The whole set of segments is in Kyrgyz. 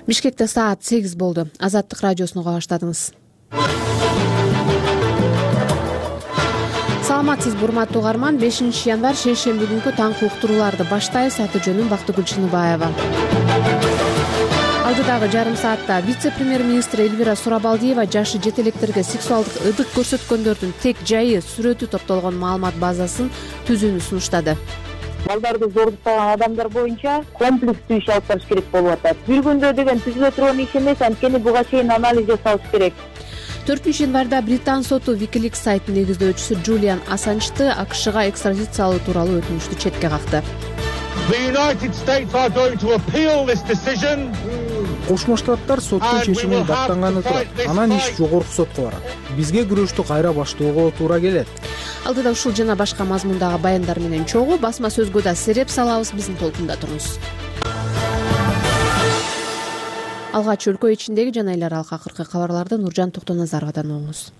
Бишкекте саат 8 болду. Азаттык радиосуну уга баштадыңыз. Саламатсызбы, урматтуу угарман. 5 январь шейшемби күнкү таңкы уктурууларды баштайбыз. Аты жөнүм Бактыгүл Чыныбаева. Алдыдагы жарым саатта вице-премьер-министр Элвира Сурабалдиева жашы жете электерге сексуалдык ыдык көрсөткөндөрдүн тег жайы сүрөтү топтолгон маалымат базасын түзүүнү сунуштады. Балдарды зордуктаган адамдар боюнча комплекстүү иш алып барыш керек болуп атат. Бир күндө деген түзүлө турган иш эмес, анткени буга чейин анализ жасалыш керек. 4-январда Британ соту WikiLeaks сайтынын негиздөөчүсү Джулиан Ассанжды АКШга экстрадициялоо тууралуу өтүнүштү четке какты. Кошмо Штаттар соттун чечимин даттанганы турат. Анан иш жогорку сотко барат. Бизге күрөштү кайра баштоого туура келет. Алдыда ушул жана башка мазмундагы баяндар менен чогуу басма сөзгө да сереп салабыз. Биздин толкунда туруңуз. Алгач өлкө ичиндеги жана эл аралык акыркы кабарларды Нуржан Токтоназаровадан угуңуз.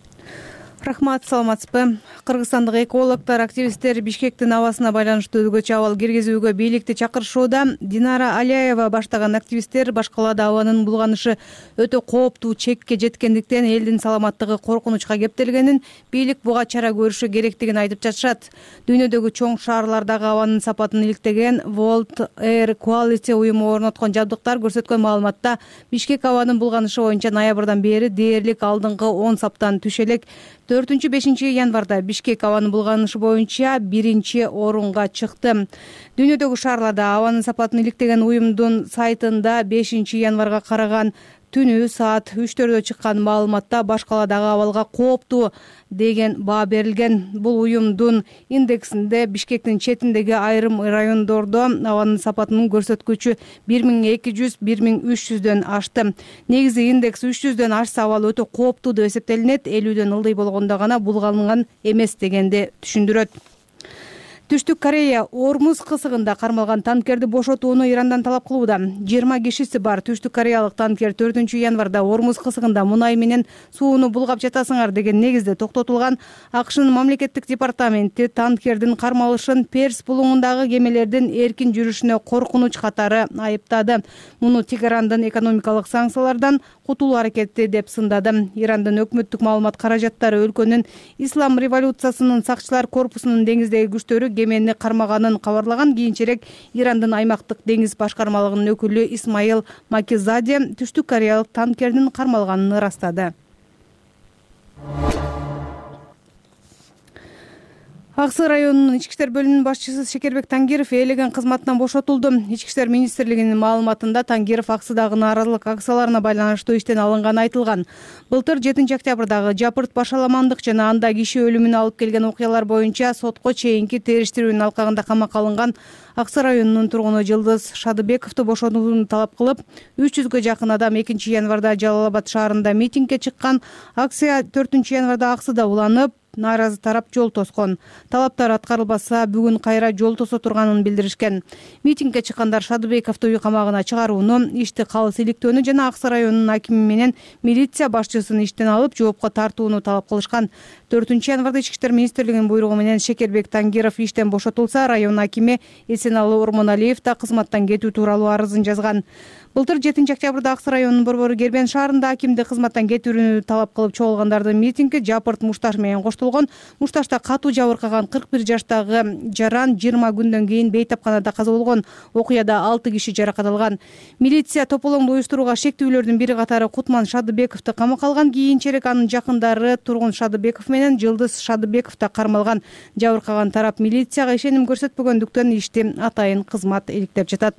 Рахмат, саламатсызбы. Кыргызстандык экологдор, активисттер Бишкектин абасына байланыштуу өзгөчө абал киргизүүгө бийликти чакырышууда. Динара Алияева баштаган активисттер баш калаада абанын булганышы өтө кооптуу чекке жеткендиктен элдин саламаттыгы коркунучка кептелгенин, бийлик буга чара көрүшү керектигин айтып жатышат. Дүйнөдөгү чоң шаарлардагы абанын сапатын иликтеген World Air Quality уюму орноткон жабдыктар көрсөткөн маалыматта Бишкек абанын булганышы боюнча ноябрдан бери дээрлик алдыңкы 10 саптан түшө элек. 4-5 январда Бишкек абанын булганышы боюнча 1-орунга чыкты. Дүйнөдөгү шаарларда абанын сапатын иликтеген уюмдун сайтында 5 январга караган түнү саат 3-төрдө чыккан маалыматта баш каладагы абалга кооптуу деген баа берилген. Бул уюмдун индексинде Бишкектин четиндеги айрым райондордо абанын сапатынын көрсөткүчү 1200-1300дөн ашты. Негизи индекс 300дөн ашса абал өтө кооптуу деп эсептелинет. 50дөн ылдый болгондо гана булганган эмес дегенди түшүндүрөт. Түштүк Корея Ормуз кысыгында кармалган танкерди бошотууну Ирандан талап кылууда. 20 кишиси бар түштүк кореялык танкер 4 январда Ормуз кысыгында мунай менен сууну булгап жатасыңар деген негизде токтотулган. АКШнын мамлекеттик департаменти танкердин кармалышын Перс булуңундагы кемелердин эркин жүрүшүнө коркунуч катары айыптады. Муну Тегерандын экономикалык санкциялардан кутулуу аракети деп сындады. Ирандын өкмөттүк маалымат каражаттары өлкөнүн Ислам революциясынын сакчылар корпусунун деңиздеги күчтөрү кемени кармаганын кабарлаган. Кийинчерээк Ирандын аймактык деңиз башкармалыгынын өкүлү Исмаил Макизаде түштүк кореялык танкердин кармалганын ырастады. Аксы районунун ички иштер бөлүмүнүн башчысы Шекербек Тангиров ээлеген кызматынан бошотулду. Ички иштер министрлигинин маалыматында Тангиров аксыдагы нааразылык акцияларына байланыштуу иштен алынганы айтылган. Былтыр 7 октябрдагы жапырт башаламандык жана анда киши өлүмүнө алып келген окуялар боюнча сотко чейинки териштирүүнүн алкагында камакка алынган Аксы районунун тургуну Жылдыз Шадыбековду бошотууну талап кылып, 300гө жакын адам 2 январда Жалал Абад шаарында митингге чыккан. Акция 4 январда Аксыда уланып, нааразы тарап жол тоскон. Талаптар аткарылбаса, бүгүн кайра жол тосо турганын билдиришкен. Митингге чыккандар Шадыбековду үй камагына чыгарууну, ишти калыс иликтөөнү жана Аксы районунун акими менен милиция башчысын иштен алып жоопко тартууну талап кылышкан. 4 январда Ички иштер министрлигинин буйругу менен Шекербек Тангиров иштен бошотулса, район акими Эсеналы Ормоналиев да кызматтан кетүү тууралуу арызын жазган. Былтыр 7 октябрда Аксы районунун борбору Кербен шаарында акимди кызматтан кетүүнү талап кылып чогулгандардын митинги жапырт мушташ менен коштолгон. Мушташта катуу жабыркаган 41 жаштагы жаран 20 күндөн кийин бейтапканада каза болгон. Окуяда 6 киши жаракат алган. Милиция тополоңду уюштурууга шектүүлөрдүн бири катары Кутман Шадыбековду камакка алган. Кийинчерээк анын жакындары тургун Шадыбеков менен Жылдыз Шадыбеков да кармалган. Жабыркаган тарап милицияга ишеним көрсөтпөгөндүктөн ишти атайын кызмат иликтеп жатат.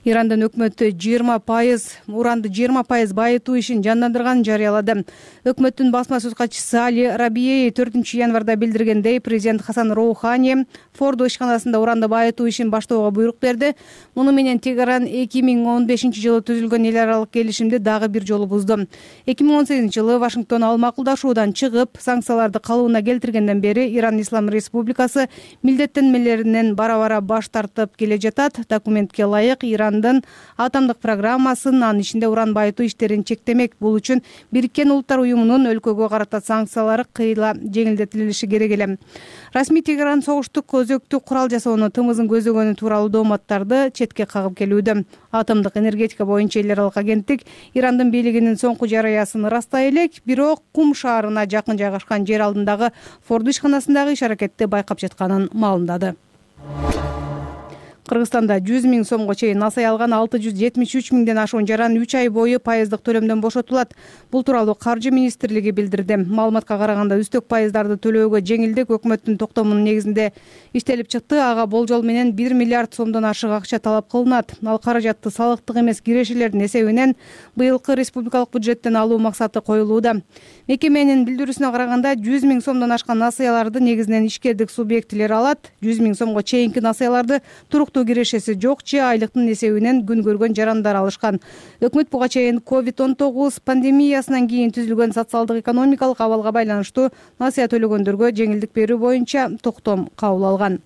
Ирандын өкмөтү 20% байытуу ишин жандандырганын жарыялады. Өкмөттүн басма сөз катчысы Али Рабией 4 январда билдиргендей, президент Хасан Роухани Фордо ишканасында уранды байытуу ишин баштоого буйрук берди. Муну менен Тегеран 2015-жылы түзүлгөн эл аралык келишимди дагы бир жолу бузду. 2018-жылы Вашингтон ал макулдашуудан чыгып, санкцияларды калыбына келтиргенден бери Иран Ислам Республикасы милдеттенмелеринен бара-бара баш тартып келе жатат. Документке ылайык Иран Ирандын атомдук программасын, анын ичинде уран байытуу иштерин чектемек. Бул үчүн Бириккен Улуттар уюмунун өлкөгө карата санкциялары кыйла жеңилдетилиши керек эле. Расмий Тегеран согуштук өзөктүк курал жасоону тымызын көздөгөнү тууралуу дооматтарды четке кагып келүүдө. Атомдук энергетика боюнча эл аралык агенттик Ирандын бийлигинин соңку жарыясын ырастай элек, бирок Кум шаарына жакын жайгашкан жер алдындагы Форду ишканасындагы иш-аракетти байкап жатканын маалымдады. Кыргызстанда 100 000 сомго чейин насай алган 673 000ден ашуун жаран 3 ай бою пайыздык төлөмдөн бошотулат. Бул тууралуу Каржы министрлиги билдирди. Маалыматка караганда үстөк пайыздарды төлөөгө жеңилдик өкмөттүн токтомунун негизинде иштелип чыкты. Ага болжол менен 1 миллиард сомдон ашык акча талап кылынат. Ал каражатты салыктык эмес кирешелердин эсебинен быйылкы республикалык бюджеттен алуу максаты коюлууда. Мекеменин билдирүүсүнө караганда 100 000 сомдон ашкан насыяларды негизинен ишкердик субъектилер алат. 100 000 сомго чейинки насыяларды туруктуу кирешеси жок же айлыктын эсебинен күн көргөн жарандар алышкан. Өкмөт буга чейин COVID-19 пандемиясынан кийин түзүлгөн социалдык экономикалык абалга байланыштуу насыя төлөгөндөргө жеңилдик берүү боюнча токтом кабыл алган.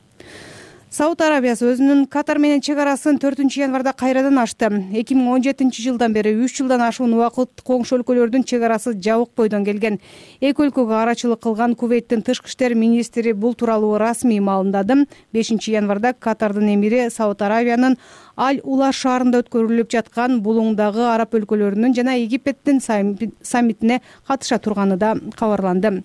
Сауд Арабиясы өзүнүн Катар менен чек арасын 4-январда кайрадан ачты. 2017-жылдан бери 3 жылдан ашуун убакыт коңшу өлкөлөрдүн чек арасы жабык бойдон келген. Эки өлкөгө арачылык кылган Кувейттин тышкы иштер министри бул тууралуу расмий маалымдады. 5-январда Катардын эмири Сауд Арабиянын Аль-Ула шаарында өткөрүлүп жаткан булуңдагы араб өлкөлөрүнүн жана Египеттин саммитине катыша турганы да кабарланды.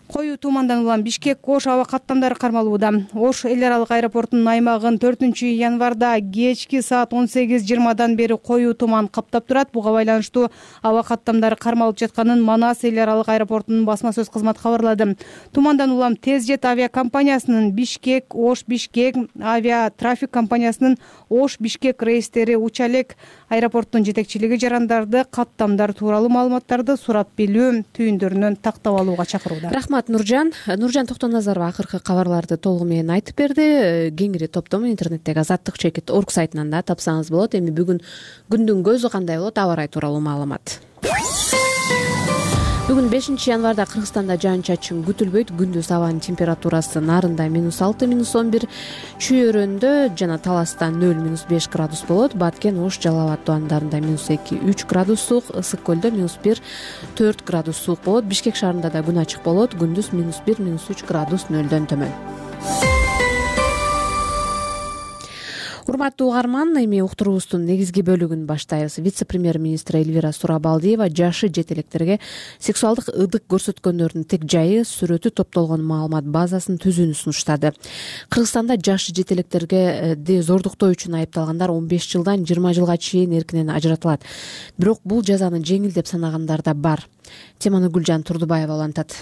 Коюу тумандан улам Бишкек Ош аба каттамдары кармалууда. Ош эл аралык аэропортунун аймагын 4-январда кечки саат 18:20 бери коюу туман каптап турат. Буга байланыштуу аба каттамдары кармалып жатканын Манас эл аралык аэропортунун басма сөз кызматы кабарлады. Тумандан улам Тезжет авиакомпаниясынын Бишкек Ош Бишкек авиа трафик компаниясынын Ош Бишкек рейстери уча элек. Аэропорттун жетекчилиги жарандарды каттамдар тууралуу маалыматтарды сурап билүү түйүндөрүнөн тактап алууга чакырууда. Рахмат Нуржан Токтоназарова акыркы кабарларды толугу менен айтып берди. Кеңири топтому интернеттеги azattik.org сайтынан да тапсаңыз болот. Эми бүгүн күндүн көзү кандай болот? Аба ырайы тууралуу маалымат. Бүгүн 5-январда Кыргызстанда жаан-чачын күтүлбөйт. Күндүз абанын температурасы Нарында -6, -11, Чүйөрөндө жана Таласта 0-5 градус болот. Баткен, Ош, Жалал абад тубандарында -2-3 градус суук, Ысык көлдө -1-4 градус суук болот. Бишкек шаарында да күн ачык болот. Күндүз -1-3 градус нөлдөн төмөн. Урматтуу угарман, эми уктуруубуздун негизги бөлүгүн баштайбыз. Вице-премьер-министр Элвира Сурабалдиева жашы жет электерге сексуалдык ыдык көрсөткөндөрдүн тег жайы, сүрөтү топтолгон маалымат базасын түзүүнү сунуштады. Кыргызстанда жашы жет электерди зордуктоо үчүн айыпталгандар 15 жылдан 20 жылга чейин эркинен ажыратылат. Бирок бул жазаны жеңил деп санагандар да бар. Теманы Гүлжан Турдубаева улантат.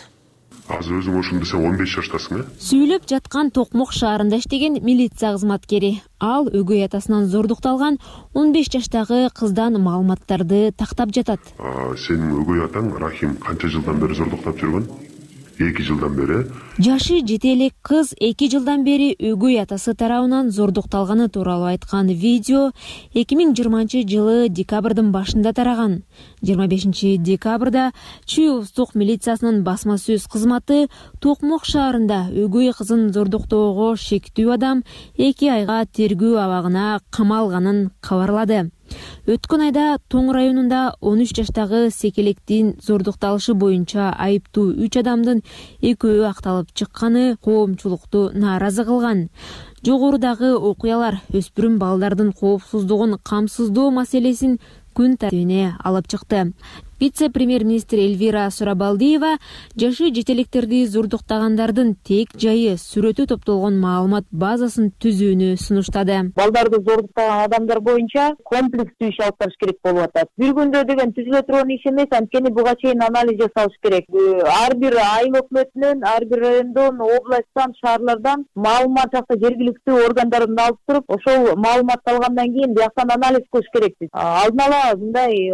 Азыр өзүң ошону десең 15 жаштасың, Сүйлөп жаткан Токмок шаарында иштеген милиция кызматкери. Ал өгөй атасынан зордукталган 15 жаштагы кыздан маалыматтарды тактап жатат. Сенин өгөй атаң Рахим канча жылдан бери зордуктап жүргөн? 2 жылдан бери. Жашы жете элек кыз 2 жылдан бери өгөй атасы тарабынан зордукталганы тууралуу айткан видео 2020-жылы декабрдын башында тараган. 25 декабрда Чүй облустук милициясынын басма сөз кызматы Токмок шаарында өгөй кызын зордуктоого шектүү адам 2 айга тергөө абагына камалганын кабарлады. Өткөн айда Тоң районунда 13 жаштагы секелектин зордукталышы боюнча айыптуу 3 адамдын экөө акталып чыкканы коомчулукту нааразы кылган. Жогорудагы окуялар өспүрүм балдардын коопсуздугун камсыздоо маселесин күн тартибине алып чыкты. Вице-премьер-министр Элвира Сурабалдиева жашы жетелектерди зордуктагандардын тег жайы, сүрөтү топтолгон маалымат базасын түзүүнү сунуштады. Балдарды зордуктаган адамдар боюнча комплекстүү иш алып барыш керек болуп атат. Бир күндө деген түзүлө турган иш эмес, анткени буга чейин анализ жасалыш керек. Ар бир айыл өкмөтүнөн, ар бир райондон, областтан, шаарлардан маалымат жакта жергиликтүү органдардан алып туруп, ошол маалыматты алгандан кийин бияктан анализ кылыш керекпиз. Алдын ала мындай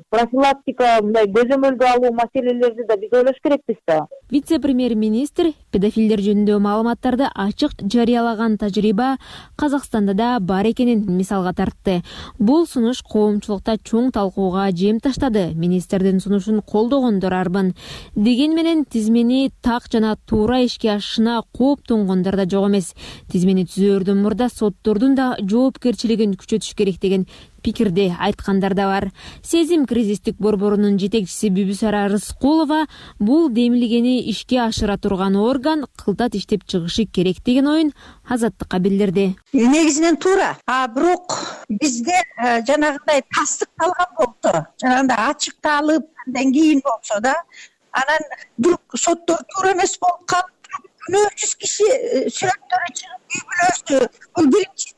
профилактика мындай көзөмөлгө алуу маселелерди да биз ойлош керекпиз да. Вице-премьер-министр педофилдер жөнүндө маалыматтарды ачык жарыялаган тажрыйба Казакстанда да бар экенин мисалга тартты. Бул сунуш коомчулукта чоң талкууга жем таштады. Министрдин сунушун колдогондор арбын. Деген менен тизмени так жана туура ишке ашышына кооптонгондор да жок эмес. Тизмени түзөөрдөн мурда соттордун да жоопкерчилигин күчөтүш керек деген пикирди айткандар да бар. Сезим кризистик борборунун жетекчиси Бүбүсара Рыскулова бул демилгени ишке ашыра турган орган кылтат иштеп чыгышы керек деген оюн Азаттыкка билдирди. Негизинен туура. Бирок бизде жанагындай тастыкталган болсо, жанагындай ачыкталып, андан кийин болсо да, анан бул соттор туура эмес болуп калып, күнөөсүз киши сүрөттөрү чыгып үй бүлөсү, бул биринчи.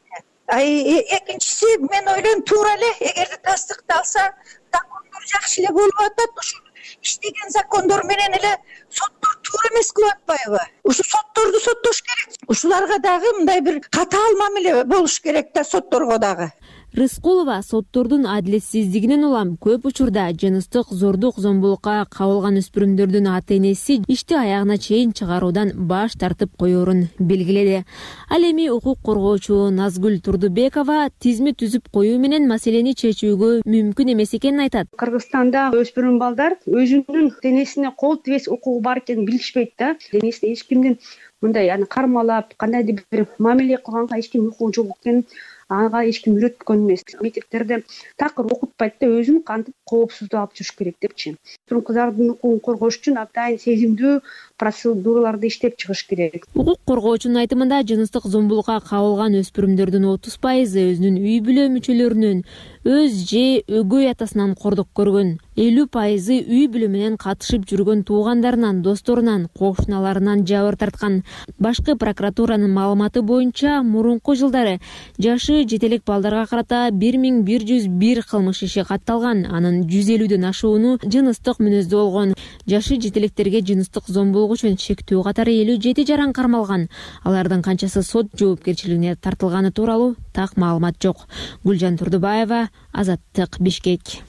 Экинчиси, мен ойлойм туура эле, эгерде тастыкталса, закондор жакшы эле болуп атат. Ушу иштеген закондор менен эле соттор туура эмес кылып атпайбы? Ушу сотторду соттош керек. Ушуларга дагы мындай бир катаал мамиле болуш керек да, сотторго дагы. Рыскулова соттордун адилетсиздигинен улам көп учурда жыныстык зордук зомбулукка кабылган өспүрүмдөрдүн ата-энеси ишти аягына чейин чыгаруудан баш тартып коерун белгиледи. Ал эми укук коргоочу Назгүл Турдубекова тизме түзүп коюу менен маселени чечүүгө мүмкүн эмес экенин айтат. Кыргызстанда өспүрүм балдар өзүнүн денесине кол тибес укугу бар экенин билишпейт да. Денесине эч кимдин мындай кармалап, кандайдыр бир мамиле кылганга эч ким укугу жок экенин ага эч ким үйрөткөн эмес. Мектептерде такыр окутпайт да, өзүн кантип коопсуздук алып жүрүш керек депчи. Кыздардын укугун коргош үчүн абдан сезимдүү процедураларды иштеп чыгыш керек. Укук коргоочунун айтымында жыныстык зомбулукка кабылган өспүрүмдөрдүн 30% өзүнүн үй бүлө мүчөлөрүнөн, өз же өгөй атасынан кордук көргөн. 50% үй бүлө менен катышып жүргөн туугандарынан, досторунан, кошуналарынан жабыр тарткан. Башкы прокуратуранын маалыматы боюнча, мурунку жылдары жашы жетелек балдарга карата 1101 кылмыш иши катталган. Анын 150дөн ашууну жыныстык мүнөздүү болгон. Жашы жетелектерге жыныстык зомбулук үчүн шектүү катары 57 жаран кармалган. Алардын канчасы сот жоопкерчилигине тартылганы тууралуу так маалымат жок. Гүлжан Турдубаева, Азаттык, Бишкек.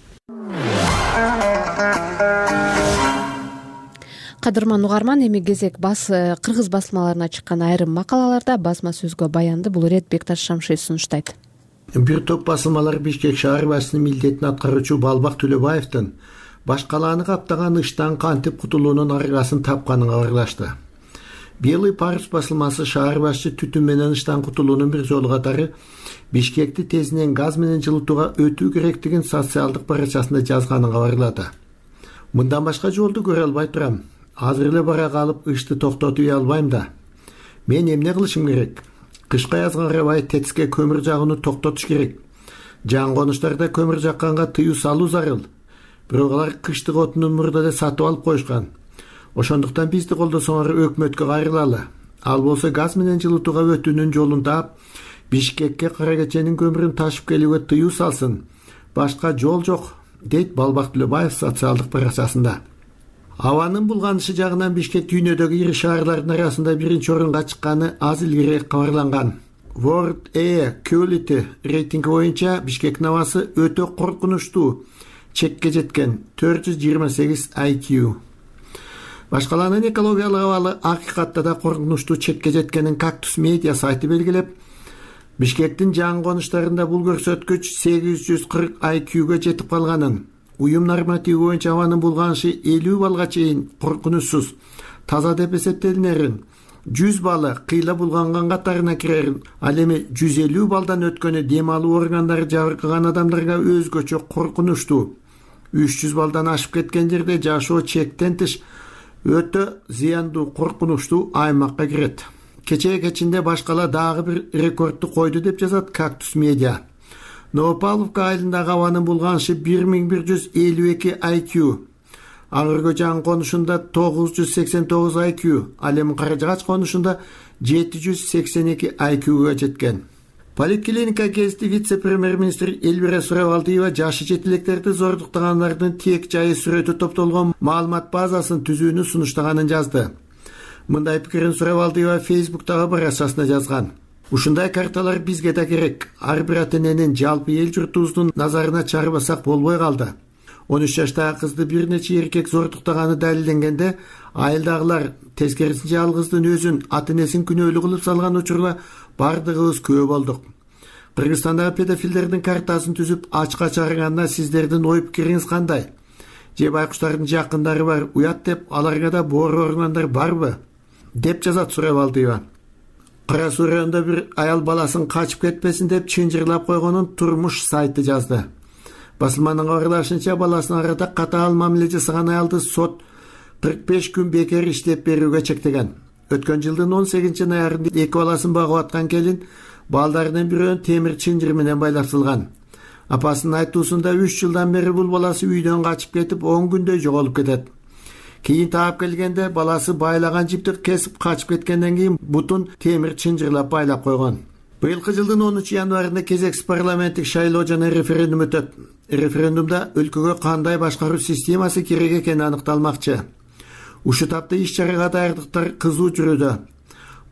Кадырман угарман, эми кезек кыргыз басылмаларына чыккан айрым макалаларда басма сөзгө баянды бул ирет Бекташ Шамшиев сунуштайт. Бир топ басылмалар Бишкек шаар башчысынын милдетин аткаруучу Балбак Төлөбаевдин баш калааны каптаган ыштан кантип кутулуунун аргасын тапканын кабарлашты. Белый парус басылмасы шаар башчы түтүн менен ыштан кутулуунун бир жолу катары Бишкекти тезинен газ менен жылытууга өтүү керектигин социалдык баракчасында жазганын кабарлады. Мындан башка жолду көрө албай турам. Азыр эле бара калып ышты токтотуп албайм да. Мен эмне кылышым керек? Кышка язга карабай ТЭЦке көмүр жагууну токтотуш керек. Жан конуштарда көмүр жакканга тыюу салуу зарыл. Бирок алар кыштык отунун мурда эле сатып алып коюшкан. Ошондуктан бизди колдосоңор өкмөткө кайрылалы. Ал болсо газ менен жылытууга өтүүнүн жолун таап, Бишкекке кара кеченин көмүрүн ташып келүүгө тыюу салсын. Башка жол жок, дейт Балбак Төлөбаев социалдык баракчасында. Абанын булганышы жагынан Бишкек дүйнөдөгү ири шаарлардын арасында биринчи орунга чыкканы аз илгери кабарланган. World Air Quality рейтинги боюнча Бишкектин абасы өтө коркунучтуу, чекке жеткен 428 IQ. Башкаланын экологиялык абалы акыйкатта да коркунучтуу чекке жеткенин Кактус медиа сайты белгилеп, Бишкектин жан конуштарында бул көрсөткүч 840 IQ-га жетип калганын, уюм нормативи боюнча абанын булганышы 50 балга чейин коркунучсуз, таза деп эсептелинерин, 100 балы кыйла булганган катарына кирерин, ал эми 150 балдан өткөнү дем алуу органдары жабыркаган адамдарга өзгөчө коркунучтуу. 300 балдан ашып кеткен жерде жашоо чектен тыш өтө зыяндуу, коркунучтуу аймакка кирет. Кечинде башкала дагы бир рекордду койду деп жазат Кактус медиа. Новопавловка айылындагы абанын булганышы 1152 IQ. Аңыргө жан конушунда 989 IQ, ал эми Каражагач конушунда 782 IQ-га жеткен. Поликлиника кезинде вице-премьер-министр Эльвира Сурабалдиева жашы жетилектерди зордуктагандардын тек жайы сүрөтү топтолгон маалымат базасын түзүүнү сунуштаганын жазды. Мындай пикирин Сурабалдиева Фейсбуктагы баракчасына жазган. Ушундай карталар бизге да керек. Ар бир ата-эненин жалпы эл журтубуздун назарына чыгарбасак болбой калды. 13 жаштагы кызды бир нече эркек зордуктаганы далилденгенде, айылдагылар тескерисинче ал кыздын өзүн, ата-энесин күнөөлүү кылып салган учурда бардыгыбыз күбө болдук. Кыргызстандагы педофилдердин картасын түзүп ачка чыгарганына сиздердин ой пикириңиз кандай? Же байкуштардын жакындары бар, уят деп аларга да боор органдар барбы? Деп жазат Сурабалдиева. Кара Суу районунда бир аял баласын качып кетпесин деп чынжырлап койгонун Турмуш сайты жазды. Басылманын кабарлашынча, баласына арада катаал мамиле жасаган аялды сот 45 күн бекер иштеп берүүгө чектеген. Өткөн жылдын 18-ноябрында 2 баласын багып аткан келин балдарынын бирөөнүн темир чынжыр менен байлаптылган. Апасынын айтуусунда 3 жылдан бери бул баласы үйдөн качып кетип 10 күндөй жоголуп кетет. Кийин таап келгенде баласы байлаган жипти кесип качып кеткенден кийин бутун темир чынжырлап байлап койгон. Быйылкы жылдын 10 январында кезексиз парламенттик шайлоо жана референдум өтөт. Референдумда өлкөгө кандай башкаруу системасы керек экени аныкталмакчы. Ушул тапта иш-чарага даярдыктар кызуу жүрүүдө.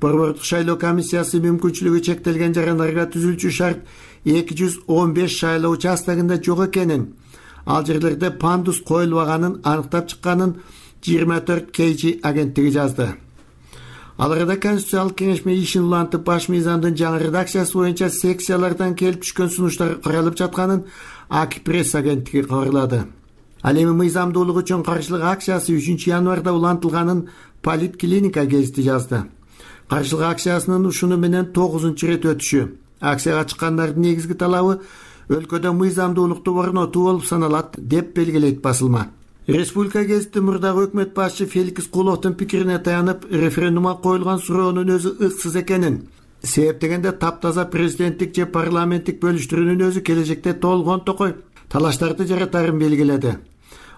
Борбордук шайлоо комиссиясы мүмкүнчүлүгү чектелген жарандарга түзүлчү шарт 215 шайлоо участогунда жок экенин, ал жерлерде пандус коюлбаганын аныктап чыкканын 24 KG агенттиги жазды. Ал арада Конституциялык кеңешме ишин улантып, баш мыйзамдын жаңы редакциясы боюнча секциялардан келип түшкөн сунуштар каралып жатканын АК пресс агенттиги кабарлады. Ал эми мыйзамдуулук үчүн каршылык акциясы 3 январда улантылганын Политклиника гезити жазды. Каршылык акциясынын ушуну менен 9-чу рет өтүшү. Акцияга чыккандардын негизги талабы өлкөдө мыйзамдуулукту орнотуу болуп саналат деп белгилейт басылма. Республика гезити мурдагы өкмөт башчы Феликс Куловдун пикирине таянып, референдумга коюлган суроонун өзү ыксыз экенин, себеп дегенде таптаза президенттик же парламенттик бөлүштүрүүнүн өзү келечекте толгон токой талаштарды жаратарын белгиледи.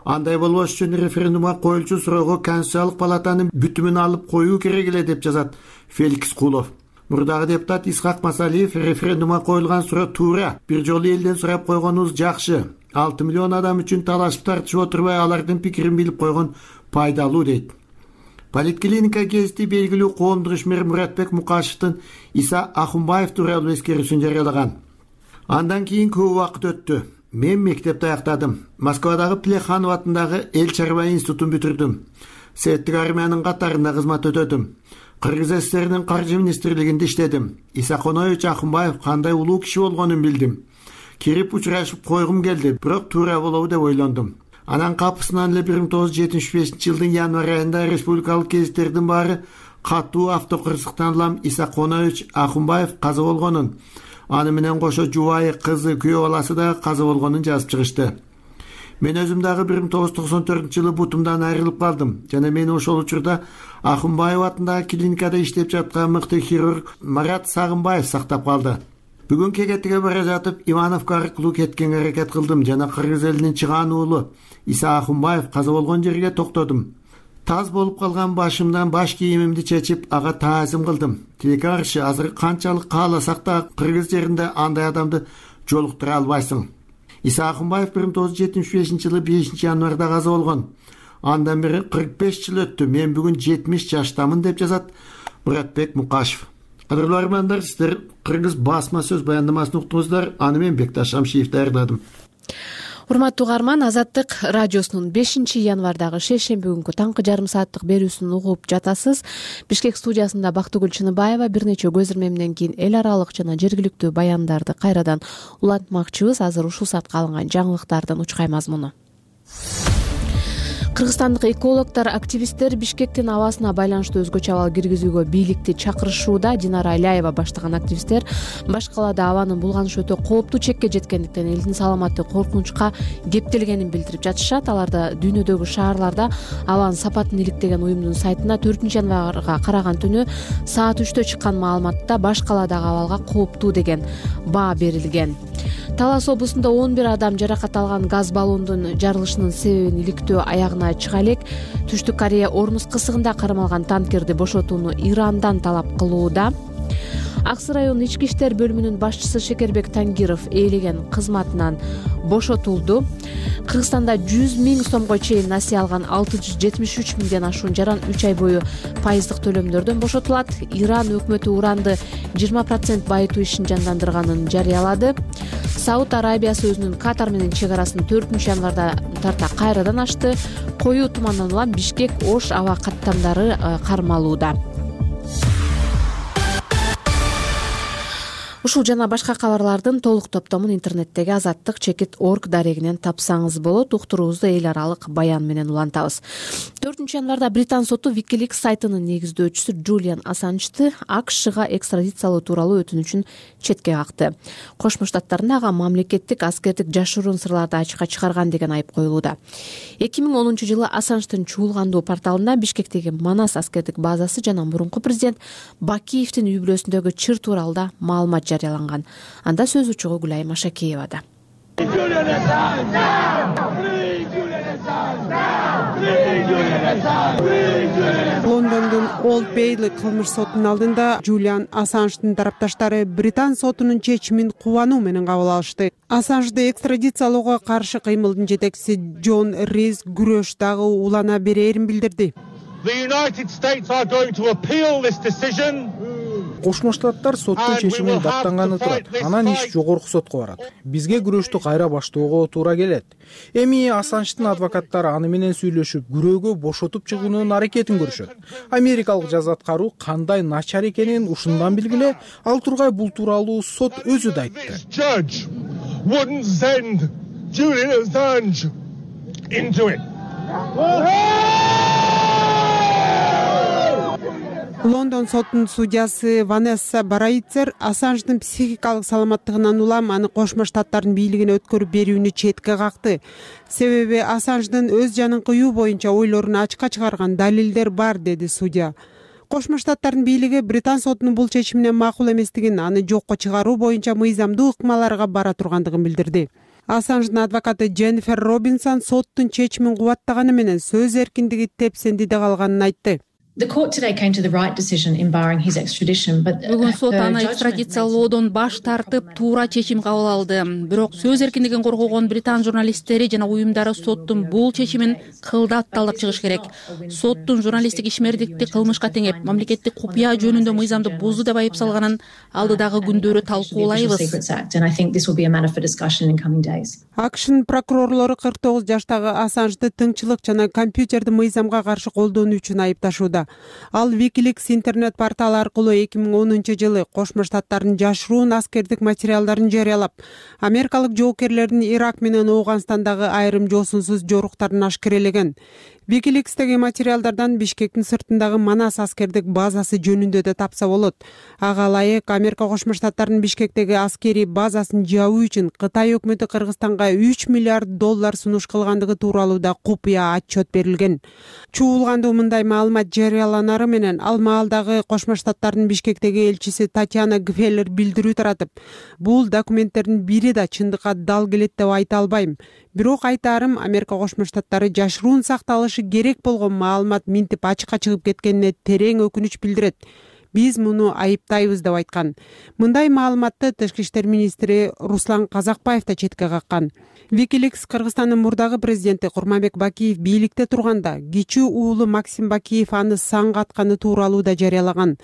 Андай болбош үчүн референдумга коюлчу суроого Конституциялык палатанын бүтүмүн алып коюу керек эле деп жазат Феликс Кулов. Мурдагы депутат Исхак Масалиев референдумга коюлган суроо туура, бир жолу элден сурап койгонубуз жакшы. 6 миллион адам үчүн талашып тартышып отурбай алардын пикирин билип койгон пайдалуу дейт. Политклиника гезити белгилүү коомдук ишмер Муратбек Мукашевдин Иса Ахунбаев тууралуу эскерүүсүн жарыялаган. Андан кийин көп убакыт өттү. Мен мектепти аяктадым. Москвадагы Плеханов атындагы Эл чарба институтун бүтүрдүм. Советтик армиянын катарында кызмат өтөдүм. Кыргыз СССРнин каржы министрлигинде иштедим. Иса Коноевич Ахунбаев кандай улуу киши болгонун билдим. Кирип учурашып койгум келди, бирок туура болобу деп ойлондум. Анан капысынан эле 1975-жылдын январь айында республикалык гезиттердин баары катуу автокырсыктан улам Иса Коноевич Ахунбаев каза болгонун, аны менен кошо жубайы, кызы, күйөө баласы да каза болгонун жазып чыгышты. Мен өзүм дагы 1994-жылы бутумдан айрылып калдым жана мени ошол учурда Ахунбаев атындагы клиникада иштеп жаткан мыкты хирург Марат Сагынбаев сактап калды. Бүгүн кегетиге бара жатып Ивановко аркылуу кеткенге аракет кылдым жана кыргыз элинин чыгаан уулу Иса Ахунбаев каза болгон жерге токтодум. Таз болуп калган башымдан баш кийимимди чечип, ага таазим кылдым. Тилекке каршы азыр канчалык кааласак да кыргыз жеринде андай адамды жолуктура албайсың. Иса Ахунбаев 1975-жылы 5-январда каза болгон. Андан бери 45 жыл өттү. Мен бүгүн 70 жаштамын деп жазат Муратбек Мукашев. Кадырлуу армандар, сиздер кыргыз басма сөз баяндамасын уктуңуздар. Аны мен Бекташ Шамшиев даярдадым. Урматтуу угарман, Азаттык радиосунун 5-январдагы шейшемби күнкү таңкы жарым сааттык берүүсүн угуп жатасыз. Бишкек студиясында Бактыгүл Чыныбаева бир нече көз ирмемден кийин эл аралык жана жергиликтүү баяндарды кайрадан улантмакчыбыз. Азыр ушул саатка алынган жаңылыктардын учкай мазмуну. Кыргызстандык экологдор, активисттер Бишкектин абасына байланыштуу өзгөчө абал киргизүүгө бийликти чакырышууда. Динара Аляева баштаган активисттер баш калаада абанын булганыш өтө кооптуу чекке жеткендиктен элдин саламаты коркунучка кептелгенин билдирип жатышат. Аларда дүйнөдөгү шаарларда абанын сапатын иликтеген уюмдун сайтына 4-январга караган түнү саат 3-тө чыккан маалыматта баш калаадагы абалга кооптуу деген баа берилген. Талас облусунда 11 адам жаракат алган. Газ баллондун жарылышынын себебин иликтөө аягына чыга элек. Түштүк Корея Ормуз кысыгында кармалган танкерди бошотууну Ирандан талап кылууда. Аксы районунун ички иштер бөлүмүнүн башчысы Шекербек Тангиров ээлеген кызматынан бошотулду. Кыргызстанда 100 000 сомго чейин насыя алган 673 миңден ашуун жаран 3 ай бою пайыздык төлөмдөрдөн бошотулат. Иран өкмөтү уранды 20% байытуу ишин жандандырганын жарыялады. Сауд Арабиясы өзүнүн Катар менен чек арасын 4-январда тарта кайрадан ачты. Коюу тумандан улам Бишкек Ош аба каттамдары кармалууда. Ушул жана башка кабарлардын толук топтомун интернеттеги azattik.org дарегинен тапсаңыз болот. Уктуруубузду эл аралык баян менен улантабыз. 4-январда Британ соту WikiLeaks сайтынын негиздөөчүсү Джулиан Ассанжды AKШга экстрадициялоо тууралуу өтүнүчүн четке какты. Кошмо Штаттардын ага мамлекеттик аскердик жашыруун сырларды ачыкка чыгарган деген айып коюлууда. 2010-жылы Ассанждын чуулгандуу порталында Бишкектеги Манас аскердик базасы жана мурунку президент Бакиевдин үй бүлөсүндөгү чыр тууралуу маалымат жарыяланган. Анда сөз учугу Гүлай Машакеевада. Лондондун Олд Бейли кылмыш сотунун алдында Джулиан Ассанждын тарапташтары Британ сотунун чечимин кубануу менен кабыл алышты. Ассанжды экстрадициялоого каршы кыймылдын жетекчиси Джон Рис күрөш дагы улана берээрин билдирди. Кошмо Штаттар соттун чечимин даттанганы турат. Анан иш жогорку сотко барат. Бизге күрөштү кайра баштоого туура келет. Эми Ассанждын адвокаттары аны менен сүйлөшүп, күрөөгө бошотуп чыгуунун аракетин көрүшөт. Америкалык жаза аткаруу кандай начар экенин ушундан билгиле, ал тургай бул тууралуу сот өзү да айтты. Лондон сотунун судьясы Ванесса Барайцер Ассанждын психикалык саламаттыгынан улам аны Кошмо Штаттардын бийлигине өткөрүп берүүнү четке какты. Себеби Ассанждын өз жанын кыюу боюнча ойлорун ачыкка чыгарган далилдер бар, деди судья. Кошмо Штаттардын бийлиги Британ сотунун бул чечимине макул эместигин, аны жокко чыгаруу боюнча мыйзамдуу ыкмаларга бара тургандыгын билдирди. Ассанждын адвокаты Дженнифер Робинсон соттун чечимин кубаттаганы менен сөз эркиндиги тепсендиде калганын айтты. Бүгүн сот аны экстрадициялоодон баш тартып, туура чечим кабыл алды. Бирок сөз эркиндигин коргогон Британ журналисттери жана уюмдары соттун бул чечимин кылдат талдап чыгыш керек. Соттун журналисттик ишмердикти кылмышка теңеп, мамлекеттик купуя жөнүндө мыйзамды бузду деп айып салганын алдыдагы күндөрү талкуулайбыз. AKШнын прокурорлору 49 жаштагы Ассанжды тыңчылык жана компьютерди мыйзамга каршы колдонуу үчүн айыпташууда. Ал WikiLeaks интернет порталы аркылуу 2010-жылы Кошмо Штаттардын жашыруун аскердик материалдарын жарыялап, америкалык жоокерлердин Ирак менен Ооганстандагы айрым жосунсуз жоруктарын ашкерелеген. WikiLeaks'теги материалдардан Бишкектин сыртындагы Манас аскердик базасы жөнүндө да тапса болот. Ага ылайык Америка Кошмо Штаттарынын Бишкектеги аскерий базасын жабуу үчүн Кытай өкмөтү Кыргызстанга $3 миллиард сунуш кылгандыгы тууралуу да купуя отчет берилген. Чуулгандуу мындай маалымат жарыяланары менен ал маалдагы Кошмо Штаттарынын Бишкектеги элчиси Татьяна Гфеллер билдирүү таратып, бул документтердин бири да чындыкка дал келет деп айта албайм. Бирок айтарым, Америка Кошмо Штаттары жашыруун сакталышы керек болгон маалымат минтип ачыкка чыгып кеткенине терең өкүнүч билдирет. Биз муну айыптайбыз деп айткан. Мындай маалыматты Тышкы иштер министри Руслан Казакбаев да четке каккан. WikiLeaks Кыргызстандын мурдагы президенти Курманбек Бакиев бийликте турганда кичүү уулу Максим Бакиев аны саңга атканы тууралуу да жарыялаган.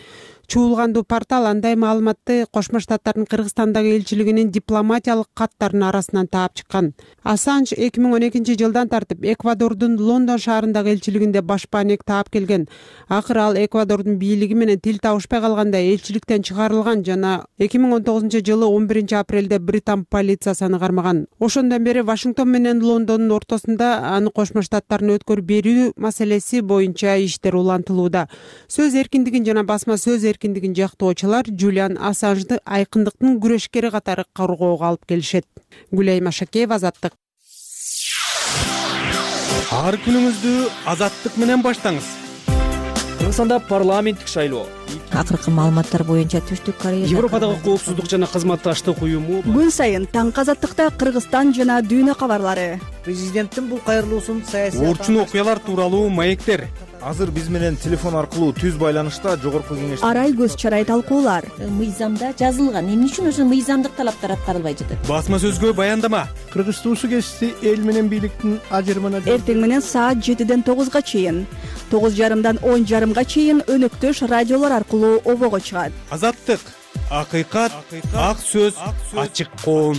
Чуулгандуу портал андай маалыматты Кошмо Штаттардын Кыргызстандагы элчилигинин дипломатиялык каттарынын арасынан таап чыккан. Ассанж 2012-жылдан тартып Эквадордун Лондон шаарындагы элчилигинде башпаанек таап келген. Акыры ал Эквадордун бийлиги менен тил табышпай калганда элчиликтен чыгарылган жана 2019-жылы 11-апрелде Британ полициясы аны кармаган. Ошондон бери Вашингтон менен Лондондун ортосунда аны Кошмо Штаттарына өткөрүп берүү маселеси боюнча иштер улантылууда. Сөз эркиндигин жана басма сөз эркиндигин жактоочулар Джулиан Ассанжды айкындыктын күрөшкери катары коргоого алып келишет. Гүлай Машакеева, Азаттык. Ар күнүңүздү Азаттык менен баштаңыз. Кыргызстанда парламенттик шайлоо. Акыркы маалыматтар боюнча Түштүк Корея Европадагы коопсуздук жана кызматташтык уюму күн сайын таңкы Азаттыкта Кыргызстан жана дүйнө кабарлары. Президенттин бул кайрылуусун саясий орчун окуялар тууралуу маектер. Азыр биз менен телефон аркылуу түз байланышта жогорку кеңеш Арай көз чарай талкуулар. Мыйзамда жазылган, эмне үчүн ошо мыйзамдык талаптар аткарылбай жатат? Басма сөзгө баяндама. Кыргыз туусу кести эл менен бийликтин ажырымына Эртең менен саат 7-ден 9-га чейин, 9:30-дан 10:30-га чейин өнөктөш радиолор аркылуу обого чыгат. Азаттык акыйкат, ак сөз, ачык коом.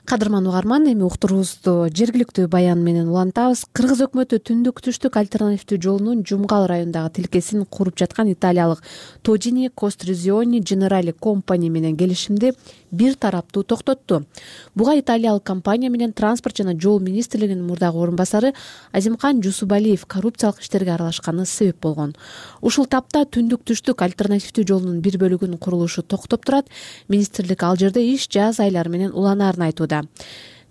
Кадырман угарман, эми уктуруубузду жергиликтүү баян менен улантабыз. Кыргыз өкмөтү түндүк түштүк альтернативдүү жолунун Жумгал районундагы тилкесин куруп жаткан италиялык Togini Costruzioni Generali Company менен келишимди бир тараптуу токтотту. Буга италиялык компания менен транспорт жана жол министрлигинин мурдагы орун басары Азимкан Жусубалиев коррупциялык иштерге аралашканы себеп болгон. Ушул тапта түндүк түштүк альтернативдүү жолунун бир бөлүгүнүн курулушу токтоп турат. Министрлик ал жерде иш жаз айлары менен уланаарын айтууда.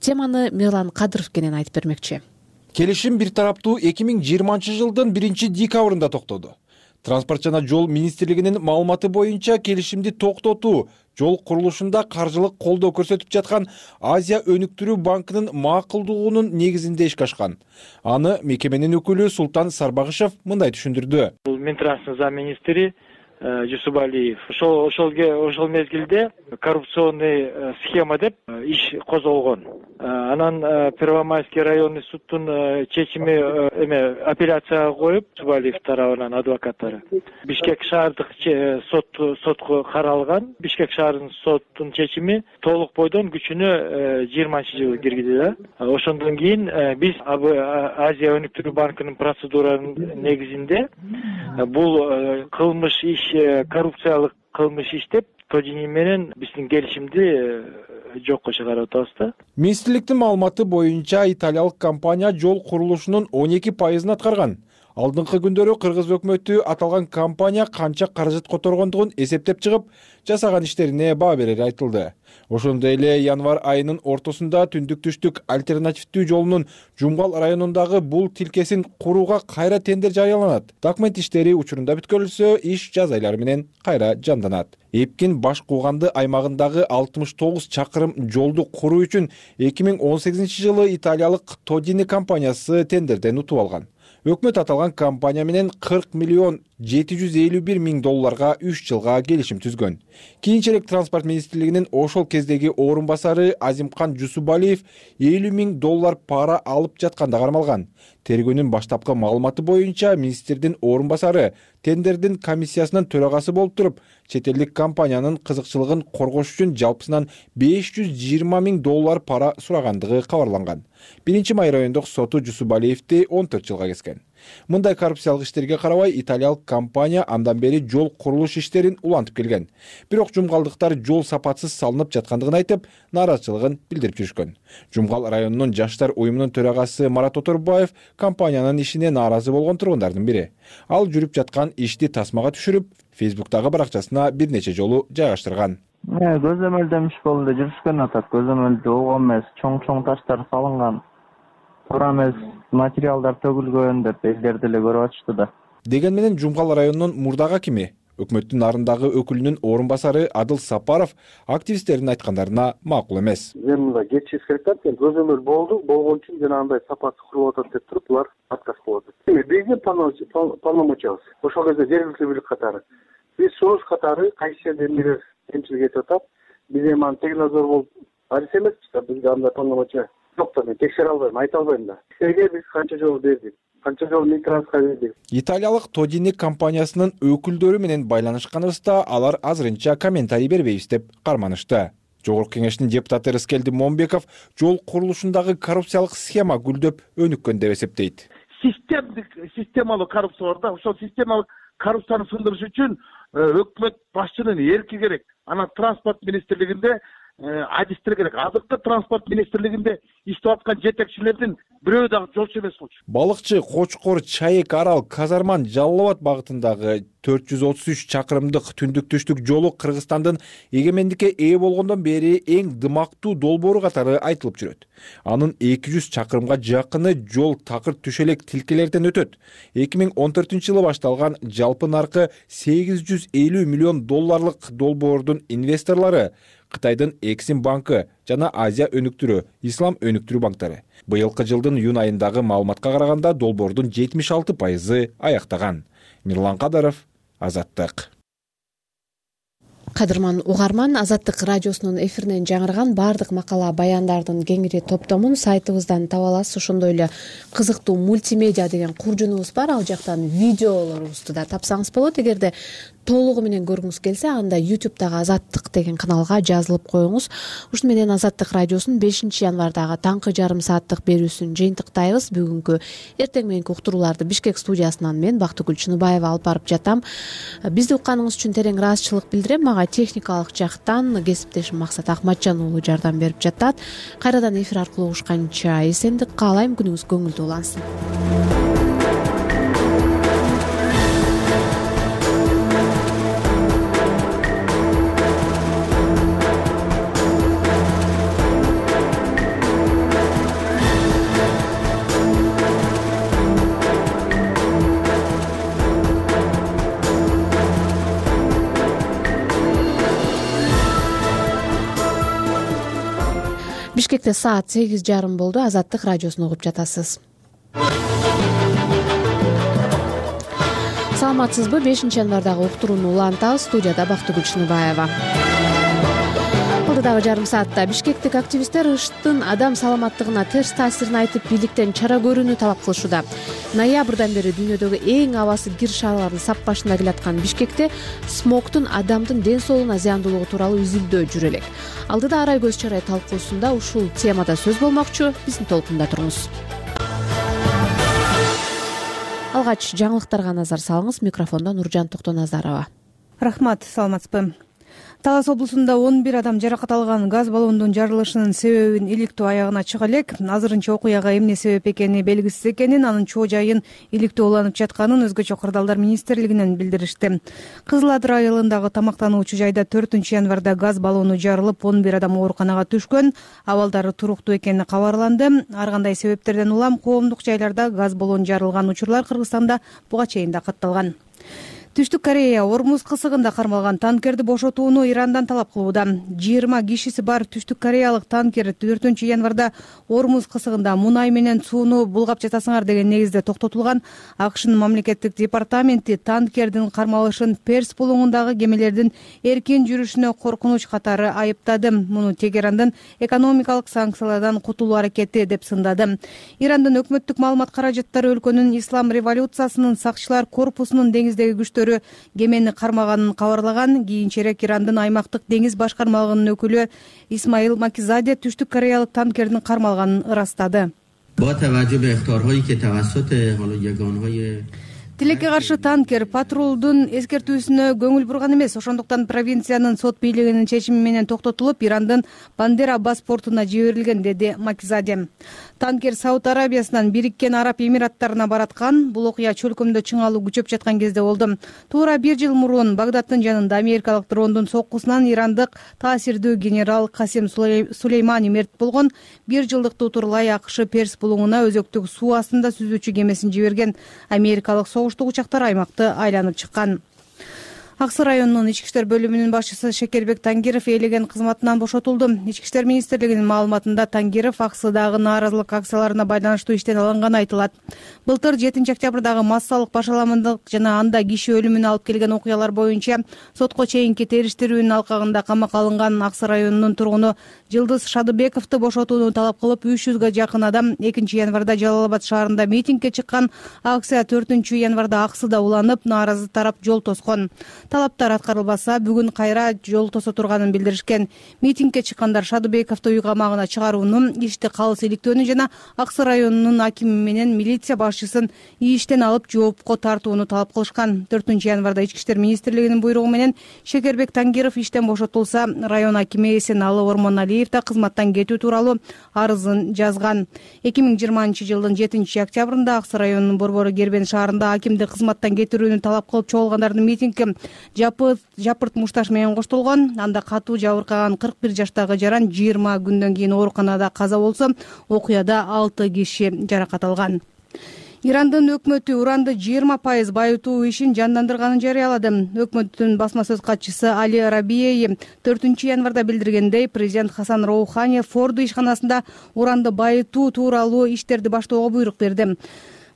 Теманы Мирлан Кадыров кенен айтып бермекчи. Келишим бир тараптуу 2020 жылдын 1-декабрында токтоду. Транспорт жана жол министрлигинин маалыматы боюнча келишимди токтотуу жол курулушунда каржылык колдоо көрсөтүп жаткан Азия өнүктүрүү банкынын макулдугунун негизинде ишке ашкан. Аны мекеменин өкүлү Султан Сарбагышев мындай түшүндүрдү. Бул Минтранстын замминистри Жусубалиев ошол мезгилде коррупционный схема деп иш козголгон. Анан Первомайский районный суттун чечими апелляцияга коюп, Жусубалиев тарабынан адвокаттары Бишкек шаардык сотко каралган. Бишкек шаарынын соттун чечими толук бойдон күчүнө 20-жылы киргизи да. Ошондон кийин биз Азия өнүктүрүү банкынын процедуранын негизинде бул кылмыш иш, коррупциялык кылмыш иш деп Togini менен биздин келишимди жокко чыгарып атабыз да. Министрликтин маалыматы боюнча италиялык компания жол курулушунун 12% аткарган. Алдыңкы күндөрү кыргыз өкмөтү аталган компания канча каражат которгондугун эсептеп чыгып, жасаган иштерине баа берери айтылды. Ошондой эле январь айынын ортосунда түндүк түштүк альтернативдүү жолунун Жумгал районундагы бул тилкесин курууга кайра тендер жарыяланат. Документ иштери учурунда бүткөрүлсө, иш жаз айлары менен кайра жанданат. Эпкин баш кууганды аймагындагы 69 чакырым жолду куруу үчүн 2018 жылы италиялык Togini компаниясы тендерден утуп алган. Өкмөт аталган компания менен 40 миллион 751 миң долларга 3 жылга келишим түзгөн. Кийинчерээк транспорт министрлигинин ошол кездеги орун басары Азимкан Жусубалиев 50 миң доллар пара алып жатканда кармалган. Тергөөнүн баштапкы маалыматы боюнча министрдин орун басары тендердин комиссиясынын төрагасы болуп туруп, чет элдик компаниянын кызыкчылыгын коргош үчүн жалпысынан 520 миң доллар пара сурагандыгы кабарланган. 1-май райондук соту Жусубалиевди 14 жылга кескен. Мындай коррупциялык иштерге карабай италиялык компания андан бери жол курулуш иштерин улантып келген. Бирок жумгалдыктар жол сапатсыз салынып жаткандыгын айтып, нааразычылыгын билдирип жүрүшкөн. Жумгал районунун жаштар уюмунун төрагасы Марат Оторбаев компаниянын ишине нааразы болгон тургундардын бири. Ал жүрүп жаткан ишти тасмага түшүрүп, Facebook'тагы баракчасына бир нече жолу жайгаштырган. Көзөмөлдөмүш болду жүрүшкөн атат. Көзөмөлдө ого эмес, чоң таштар салынган. Туура эмес материалдар төгүлгөн деп элдер деле көрүп атышты да. Деген менен Жумгал районунун мурдагы акими, өкмөттүн нарындагы өкүлүнүн орун басары Адыл Сапаров активисттердин айткандарына макул эмес. Мен мында кетишип айтат, көзөмөл болду, болгон үчүн жанагындай сапаты курулуп атат деп туруп, булар отказ кылып атат. Биздин полномочиябыз ошол кезде жергиликтүү бийлик катары. Биз союз катары кайсы жерде эмнелер кемчилик этип атат. Биз эми аны теглазор болуп арыз эмеспиз да, бизде андай полномочия жок да, мен текшере албайм, айта албайм да. Сизге биз канча жол бердик, канча жол Минтрансқа бердик. Италиялык Togini компаниясынын өкүлдөрү менен байланышканыбызда алар азырынча комментарий бербейбиз деп карманышты. Жогорку кеңештин депутаты Рыскелди Момбеков жол курулушундагы коррупциялык схема гүлдөп өнүккөн деп эсептейт. Системалык коррупция бар да, ошол системалык коррупцияны сындырыш үчүн өкмөт башчынын эрки керек. Анан транспорт министрлигинде адистер керек. Азыркы транспорт министрлигинде иштеп аткан жетекчилердин бирөө дагы жолчу эмес болчу. Балыкчы, Кочкор, Чайек, Арал, Казарман, Жалал Абад багытындагы 433 чакырымдык түндүк түштүк жолу Кыргызстандын эгемендикке ээ болгондон бери эң дымактуу долбоору катары айтылып жүрөт. Анын 200 чакырымга жакыны жол такыр түшөлек тилкелерден өтөт. 2014 жылы башталган жалпы наркы 850 миллион долларлык долбоордун инвесторлору Кытайдын Эксим банкы жана Азия өнүктүрүү, Ислам өнүктүрүү банктары. Быйылкы жылдын июнь айындагы маалыматка караганда долбоордун 76% аяктаган. Мирлан Кадыров, Азаттык. Кадырман угарман, Азаттык радиосунун эфиринен жаңырган баардык макала баяндардын кеңири топтомун сайтыбыздан таба аласыз. Ошондой эле кызыктуу мультимедиа деген куржунубуз бар, ал жактан видеолорубузду да тапсаңыз болот. Эгерде толугу менен көргүңүз келсе, анда YouTube'дагы Азаттык деген каналга жазылып коюңуз. Ушуну менен Азаттык радиосунун 5-январдагы таңкы жарым сааттык берүүсүн жыйынтыктайбыз. Бүгүнкү эртең мененки уктурууларды Бишкек студиясынан мен Бактыгүл Чыныбаева алып барып жатам. Бизди укканыңыз үчүн терең ыраазычылык билдирем. Мага техникалык жактан кесиптешим Максат Акматжан уулу жардам берип жатат. Кайрадан эфир аркылуу угушканча эсендик каалайм. Күнүңүз көңүлдүү улансын. Бишкекте саат 8:30 болду. Азаттык радиосун угуп жатасыз. Саламатсызбы? 5-январдагы уктурууну улантабыз. Студияда Бактыгүл Чыныбаева. Алдыдагы жарым саатта бишкектик активисттер ыштын адам саламаттыгына терс таасирин айтып, бийликтен чара көрүүнү талап кылышууда. Ноябрдан бери дүйнөдөгү эң абасы кир шаарлардын сап башында келаткан Бишкекте смогтун адамдын ден соолугуна зыяндуулугу тууралуу изилдөө жүрө элек. Алдыда арай көз чарай талкуусунда ушул темада сөз болмокчу. Биздин толкунда туруңуз. Алгач жаңылыктарга назар салыңыз. Микрофондо Нуржан Токтоназарова. Рахмат, саламатсызбы? Талас облусунда 11 адам жаракат алган. Газ баллондун жарылышынын себебин иликтөө аягына чыга элек. Азырынча окуяга эмне себеп экени белгисиз экенин, анын чоо жайын иликтөө уланып жатканын өзгөчө кырдаалдар министрлигинен билдиришти. Кызыл Ат районундагы тамактануучу жайда 4-январда газ баллону жарылып, 11 адам ооруканага түшкөн. Абалдары туруктуу экени кабарланды. Ар кандай себептерден улам коомдук жайларда газ баллону жарылган учурлар Кыргызстанда буга чейин да катталган. Түштүк Корея Ормуз кысыгында кармалган танкерди бошотууну Ирандан талап кылууда. 20 кишиси бар Түштүк Кореялык танкер 4-январда Ормуз кысыгында мунай менен сууну булгап жатасыңар деген негизде токтотулган. АКШнын мамлекеттик департаменти танкердин кармалышын Перс булуңундагы кемелердин эркин жүрүшүнө коркунуч катары айыптады. Муну Тегерандын экономикалык санкциялардан кутулуу аракети деп сындады. Ирандын өкмөттүк маалымат каражаттары өлкөнүн ислам революциясынын сакчылар корпусунун деңиздеги күчтөрү кемени кармаганын кабарлаган. Кийинчерээк Ирандын аймактык деңиз башкармалыгынын өкүлү Исмаил Макизаде Түштүк Кореялык танкердин кармалганын ырастады. Тилекке каршы танкер патрулдун эскертүүсүнө көңүл бурган эмес. Ошондуктан провинциянын сот бийлигинин чечими менен токтотулуп, Ирандын Бандера бас портуна жиберилген, деди Макизаде. Танкер Сауд Арабиясынан Бириккен Араб Эмираттарына бараткан. Бул окуя чөлкөмдө чыңалуу күчөп жаткан кезде болду. Туура 1 жыл мурун Багдадтын жанында америкалык дрондун соккусунан ирандык таасирдүү генерал Касим Сулеймани мерт болгон. 1 жылдыкты утурлай АКШ Перс булуңуна өзөктүк суу астында сүзүүчү кемесин жиберген. Америкалык согуштук учактар аймакты айланып чыккан. Аксы районунун ички иштер бөлүмүнүн башчысы Шекербек Тангиров ээлеген кызматынан бошотулду. Ички иштер министрлигинин маалыматында Тангиров Аксыдагы нааразылык акцияларына байланыштуу иштен алынганы айтылат. Былтыр 7-октябрдагы массалык башаламандык жана анда киши өлүмүнө алып келген окуялар боюнча сотко чейинки териштирүүнүн алкагында камакка алынган Аксы районунун тургуну Жылдыз Шадыбековду бошотууну талап кылып 300га жакын адам 2-январда Жалал Абад шаарында митингге чыккан. Акция 4-январда Аксыда уланып, нааразы тарап жол тоскон. Талаптар аткарылбаса, бүгүн кайра жол тосо турганын билдиришкен. Митингге чыккандар Шадыбековду үй камагына чыгарууну, ишти калыс иликтөөнү жана Аксы районунун акими менен милиция башчысын иштен алып жоопко тартууну талап кылышкан. 4-январда Ички иштер министрлигинин буйругу менен Шекербек Тангиров иштен бошотулса, район акими Эсеналы Ормоналиев да кызматтан кетүү тууралуу арызын жазган. 2020-жылдын 7-октябрында Аксы районунун Борбору Кербен шаарында акимди кызматтан кетирүүнү талап кылып чогулгандардын митингге жапырт мушташ менен коштолгон. Анда катуу жабыркаган 41 жаштагы жаран 20 күндөн кийин ооруканада каза болсо, окуяда 6 киши жаракат алган. Ирандын өкмөтү уранды 20% байытуу ишин жандандырганын жарыялады. Өкмөттүн басма сөз катчысы Али Рабиеи 4-январда билдиргендей, президент Хасан Роухани Форду ишканасында уранды байытуу тууралуу иштерди баштоого буйрук берди.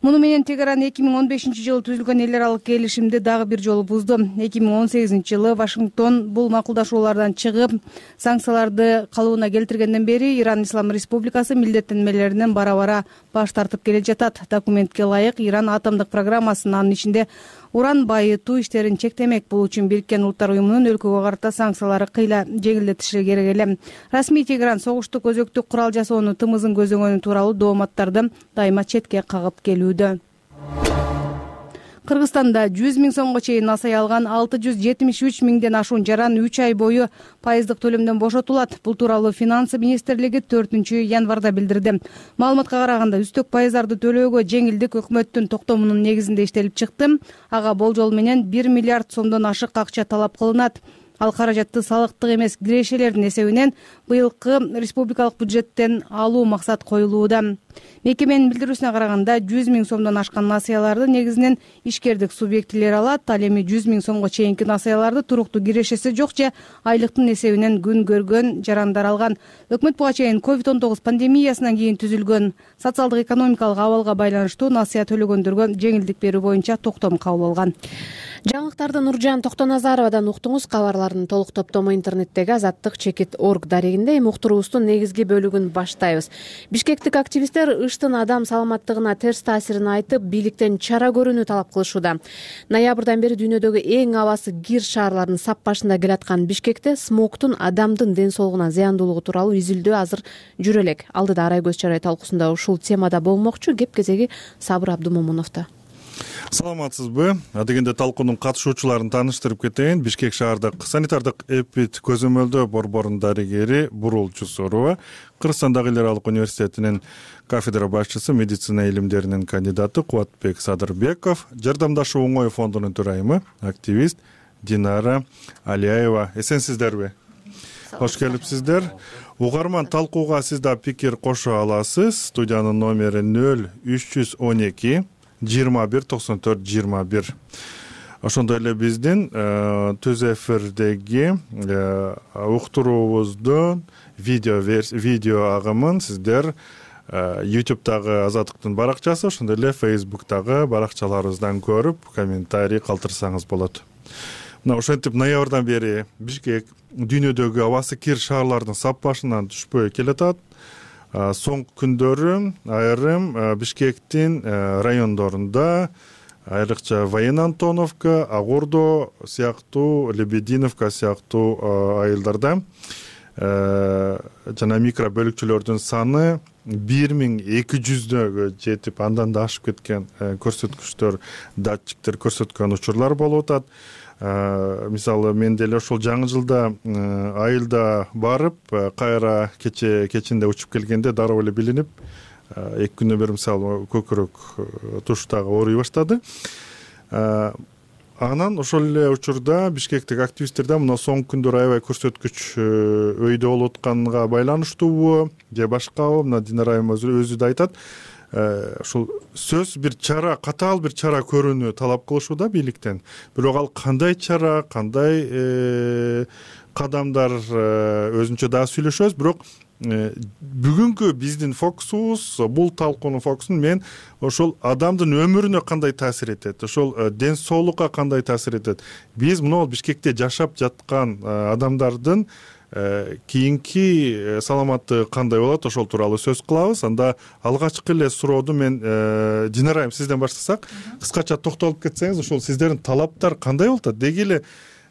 Муну менен Тегеран 2015-жылы түзүлгөн эл аралык келишимди дагы бир жолу бузду. 2018-жылы Вашингтон бул макулдашуулардан чыгып, санкцияларды калыбына келтиргенден бери Иран Ислам Республикасы милдеттенмелеринен бара-бара баш тартып келе жатат. Документке ылайык Иран атомдук программасын, анын ичинде уран байытуу иштерин чектемек. Бул үчүн Бириккен Улуттар уюмунун өлкөгө карата санкциялары кыйла жеңилдетилиши керек эле. Расмий Тегеран согуштук өзөктүк курал жасоону тымызын көздөгөнү тууралуу дооматтарды дайыма четке кагып келүүдө. Кыргызстанда 100 000 сомго чейин насай алган 673 000ден ашуун жаран 3 ай бою пайыздык төлөмдөн бошотулат. Бул тууралуу Финансы министрлиги 4-январда билдирди. Маалыматка караганда үстөк пайыздарды төлөөгө жеңилдик өкмөттүн токтомунун негизинде иштелип чыкты. Ага болжол менен 1 миллиард сомдон ашык акча талап кылынат. Ал каражатты салыктык эмес кирешелердин эсебинен быйылкы республикалык бюджеттен алуу максат коюлууда. Мекеменин билдирүүсүнө караганда 100 000 сомдон ашкан насыяларды негизинен ишкердик субъектилер алат. Ал эми 100 000 сомго чейинки насыяларды туруктуу кирешеси жок же айлыктын эсебинен күн көргөн жарандар алган. Өкмөт буга чейин COVID-19 пандемиясынан кийин түзүлгөн социалдык экономикалык абалга байланыштуу насыя төлөгөндөргө жеңилдик берүү боюнча токтом кабыл алган. Жаңылыктарды Нуржан Токтоназаровадан уктуңуз. Кабарлардын толук топтому интернеттеги azattik.org дарегинде. Эми уктуруубуздун негизги бөлүгүн баштайбыз. Бишкектик активисттер ыштын адам саламаттыгына терс таасирин айтып, бийликтен чара көрүүнү талап кылышууда. Ноябрдан бери дүйнөдөгү эң абасы кир шаарлардын сап башында келаткан Бишкекте смогтун адамдын ден соолугуна зыяндуулугу тууралуу изилдөө азыр жүрө элек. Алдыда Арай көз чарай талкуусунда ушул темада болмокчу. Кеп кезеги Сабыр Абдумомуновдо. Саламатсызбы? Адегенде талкуунун катышуучуларын тааныштырып кетейин. Бишкек шаардык санитардык эпид көзөмөлдөө борборунун дарыгери Бурул Жусурова, Кыргызстандагы эл аралык университетинин кафедра башчысы, медицина илимдеринин кандидаты Кубатбек Садырбеков, Жардамдашуу оңой фондунун төрайымы, активист Динара Алиаева. Эсенсиздерби? Кош келипсиздер. Угарман, талкууга сиз да пикир кошо аласыз. Студиянын номери 0312 21 94 21. Ошондой эле биздин түз эфирдеги уктуруубуздун видео агымын сиздер YouTube'дагы Азаттыктын баракчасы, ошондой эле Facebook'дагы баракчаларыбыздан көрүп, комментарий калтырсаңыз болот. Мына ошентип ноябрдан бери Бишкек дүйнөдөгү абасы кир шаарлардын сап башынан түшпөй келатат. Соңку күндөрү айрым Бишкектин райондорунда, айрыкча Воен Антоновка, Агурдо сыяктуу, Лебединовка сыяктуу айылдарда жана микро бөлүкчөлөрдүн саны 1200дөгө жетип, андан да ашып кеткен көрсөткүчтөр, датчиктер көрсөткөн учурлар болуп атат. Мисалы, мен деле ошол жаңы жылда айылда барып, кайра кечинде учуп келгенде дароо эле билинип, 2 күндөн бери мисалы көкүрөк туштагы ооруй баштады. Анан ошол эле учурда Бишкектик активисттерден мына соңку күндөр аябай көрсөткүч өйдө болуп атканга байланыштуубу же башкабы, мына Динара айым өзү да айтат. Ушул сөз бир чара, катаал бир чара көрүүнү талап кылышууда бийликтен. Бирок ал кандай чара, кандай кадамдар өзүнчө дагы сүйлөшөбүз. Бирок бүгүнкү биздин фокусубуз, бул талкуунун фокусун мен ошол адамдын өмүрүнө кандай таасир этет, ошол ден соолукка кандай таасир этет. Биз мына Бишкекте жашап жаткан адамдардын кийинки саламаттыгы кандай болот, ошол тууралуу сөз кылабыз. Анда алгачкы эле сурооду мен Динара айым сизден баштасак, кыскача токтолуп кетсеңиз, ошол сиздердин талаптар кандай болуп атат? Деги эле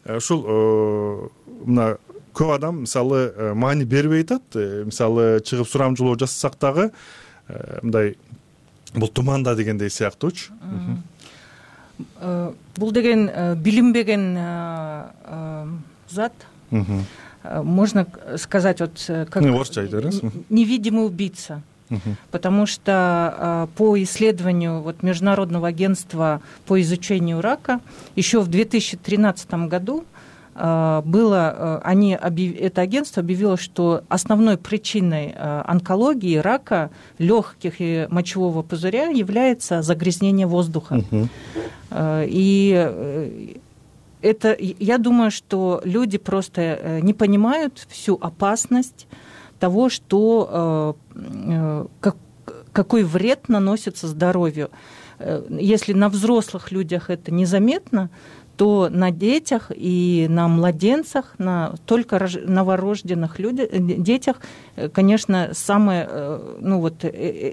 ушул мына көп адам мисалы маани бербей атат. Мисалы чыгып сурамжылоо жасасак дагы мындай бул туманда дегендей сыяктуучу. Бул деген билинбеген зат. Можно сказать, вот как невидимый убийца, потому что по исследованию вот Международного агентства по изучению рака еще в 2013 году это агентство объявило, что основной причиной онкологии, рака легких и мочевого пузыря является загрязнение воздуха. И это, я думаю, что люди просто не понимают всю опасность того, что какой вред наносится здоровью. Если на взрослых людях это незаметно, то на детях и на младенцах, на только новорожденных детях, конечно,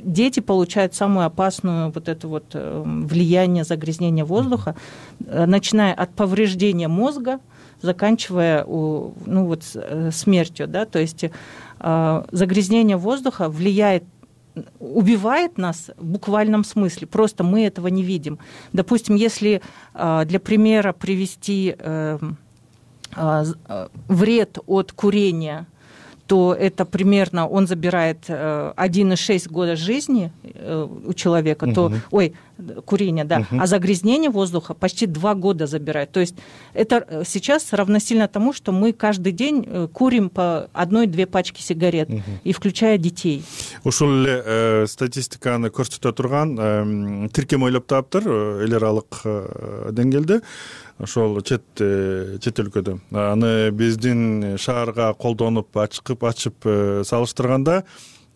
дети получают самую опасную влияние загрязнения воздуха, начиная от повреждения мозга, заканчивая смертью, да, то есть загрязнение воздуха убивает нас в буквальном смысле, просто мы этого не видим. Допустим, если для примера привести вред от курения, то это примерно он забирает 1,6 года жизни у человека, курение, да, а загрязнение воздуха почти 2 года забирает. То есть это сейчас равносильно тому, что мы каждый день курим по 1-2 пачки сигарет, и включая детей. Ушул эле статистиканы көрсөтө турган тиркем ойлоп таптыр эл аралык деңгээлде. Ошол чет өлкөдө аны биздин шаарга колдонуп ачып салыштырганда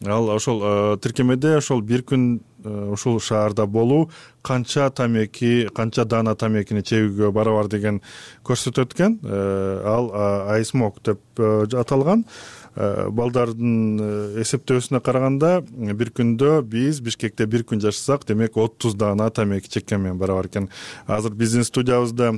ал ошол тиркемеде ошол бир күн ушул шаарда болуу канча даана тамекини чегүүгө барабар деген көрсөтөт экен. Ал айсмок деп аталган. Балдардын эсептөөсүнө караганда бир күндө биз Бишкекте бир күн жашасак, демек 30 даана тамеки чеккен менен барабар экен. Азыр биздин студиябызда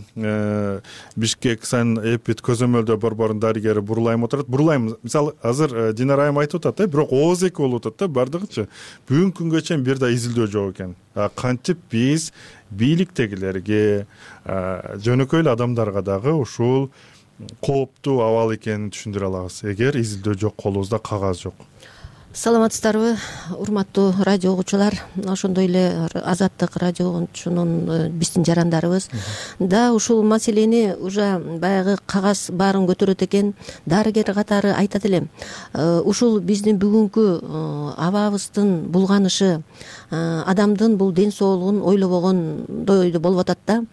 Бишкек санэпид көзөмөлдөө борборунун дарыгери Бурлайым отурат. Бурлайым, мисалы азыр Динара айым айтып атат, бирок ооз эки болуп атат да бардыгычы. Бүгүнкү күнгө чейин бир да изилдөө жок экен. Кантип биз бийликтегилерге, жөнөкөй эле адамдарга дагы ушул кооптуу абал экенин түшүндүрө алабыз, эгер изилдөө жок, колубузда кагаз жок? Саламатсыздарбы, урматтуу радио угуучулар, ошондой эле Азаттык радиосунун биздин жарандарыбыз да ушул маселени уже баягы кагаз баарын көтөрөт экен. Дарыгер катары айтат элем, ушул биздин бүгүнкү абабыздын булганышы, адамдын бул ден соолугун ойлобогондой болуп атат да.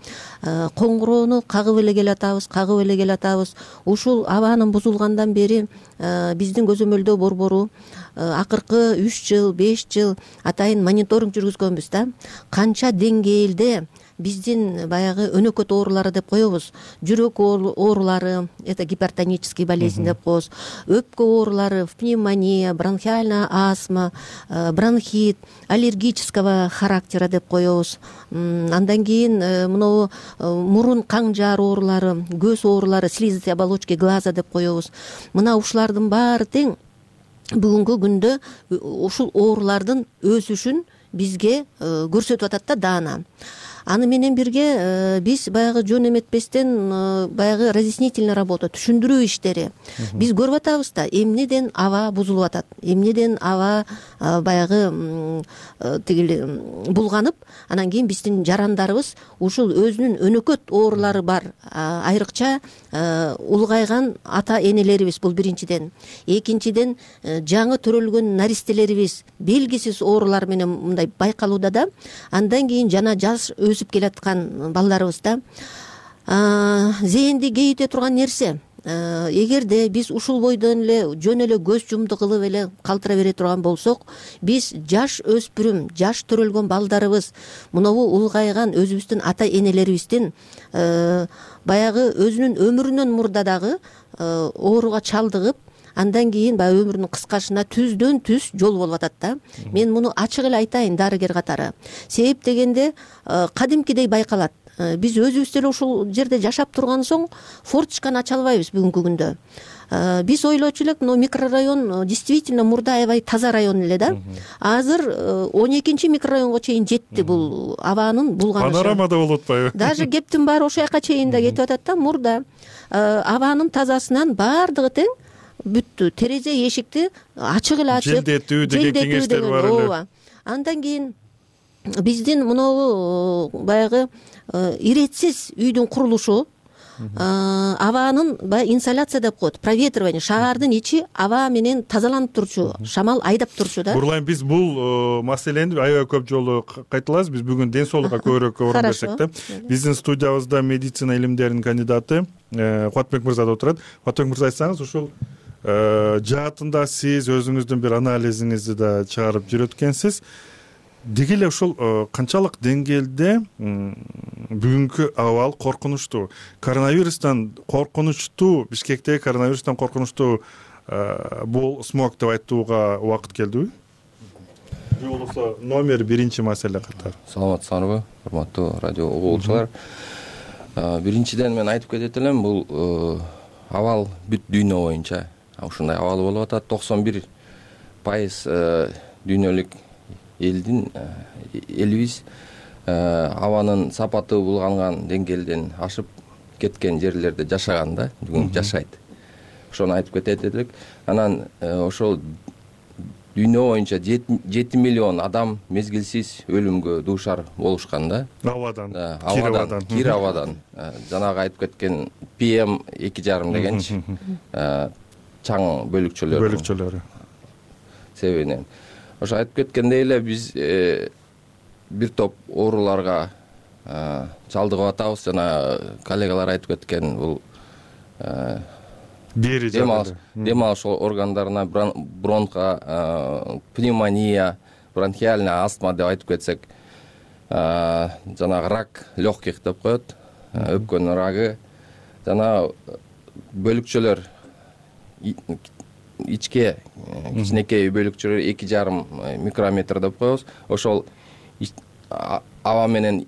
Коңгуроону кагып эле келатабыз. Ушул абанын бузулгандан бери биздин көзөмөлдөө борбору акыркы 3 жыл, 5 жыл атайын мониторинг жүргүзгөнбүз да. Канча деңгээлде биздин баягы өнөкөт оорулары деп коебуз. Жүрөк оорулары, это гипертонический болезнь деп коебуз. Өпкө оорулары, пневмония, бронхиальная астма, бронхит, аллергического характера деп коебуз. Андан кийин мынау мурун каң жаар оорулары, көз оорулары, слизистые оболочки глаза деп коебуз. Мына ушулардын баары тең бүгүнкү күндө ушул оорулардын өсүшүн бизге көрсөтүп атат да даана. Аны менен бирге биз баягы жөн эметпестен баягы разъяснительный работа, түшүндүрүү иштери биз көрүп атабыз да, эмнеден аба бузулуп атат, эмнеден аба баягы булганып, анан кийин биздин жарандарыбыз ушул өзүнүн өнөкөт оорулары бар, айрыкча улгайган ата энелерибиз, бул биринчиден. Экинчиден жаңы төрөлгөн наристелерибиз белгисиз оорулар менен мындай байкалууда да. Андан кийин жана жаш өсүп келаткан балдарыбыз да. Зээнди кейите турган нерсе, эгерде биз ушул бойдон эле жөн эле көз жумду кылып эле калтыра бере турган болсок, биз жаш өспүрүм, жаш төрөлгөн балдарыбыз, мынабу улгайган өзүбүздүн ата энелерибиздин баягы өзүнүн өмүрүнөн мурда дагы ооруга чалдыгып, андан кийин баягы өмүрүнүн кыскашына түздөн түз жол болуп атат да. Мен муну ачык эле айтайын дарыгер катары. Себеп дегенде кадимкидей байкалат. Биз өзүбүз деле ушул жерде жашап турган соң форточканы ача албайбыз бүгүнкү күндө. Биз ойлочу элек, микрорайон действительно мурда аябай таза район эле да. Азыр 12-чи микрорайонго чейин жетти бул абанын булганышы. Панорамада болуп атпайбы? Даже кептин баары ошол жака чейин да кетип атат да. Мурда абанын тазасынан баардыгы тең бүттү. Терезе эшикти ачык эле ачып, желдетүү деген кеңештер бар эле. Андан кийин биздин мынау баягы иретсиз үйдүн курулушу, абанын баягы инсоляция деп коет, проветривание, шаардын ичи аба менен тазаланып турчу, шамал айдап турчу да. Бурлайм, биз бул маселени аябай көп жолу кайталабыз. Биз бүгүн ден соолукка көбүрөөк орун берсек да. Биздин студиябызда медицина илимдеринин кандидаты Кубатбек мырза да отурат. Кубатбек мырза, айтсаңыз, ушул жаатында сиз өзүңүздүн бир анализиңизди да чыгарып жүрөткенсиз. Деги эле ушул канчалык деңгээлде бүгүнкү абал коркунучтуу? Коронавирустан коркунучтуу, Бишкектеги коронавирустан коркунучтуу бул смог деп айтууга убакыт келдиби? Же болбосо номер биринчи маселе катары? Саламатсыздарбы, урматтуу радио угуучулар. Биринчиден мен айтып кетет элем, бул абал бүт дүйнө боюнча ушундай абал болуп атат. 91% дүйнөлүк элибиз абанын сапаты булганган деңгээлден ашып кеткен жерлерде жашаган да, бүгүн жашайт. Ошону айтып кетет элек. Анан ошол дүйнө боюнча 7 миллион адам мезгилсиз өлүмгө дуушар болушкан да. Абадан, кир абадан. Жанагы айтып кеткен PM 2,5 дегенчи чаң бөлүкчөлөрү себебинен. Ошо айтып кеткендей эле биз бир топ ооруларга чалдыгып атабыз. Жана коллегалар айтып кеткен бул дем алыш органдарына бронха, пневмония, бронхиальная астма деп айтып кетсек, жанагы рак легких деп коет, өпкөнүн рагы, жана бөлүкчөлөр ичке кичинекей бөлүкчөлөр 2,5 микрометр деп коебуз. Ошол аба менен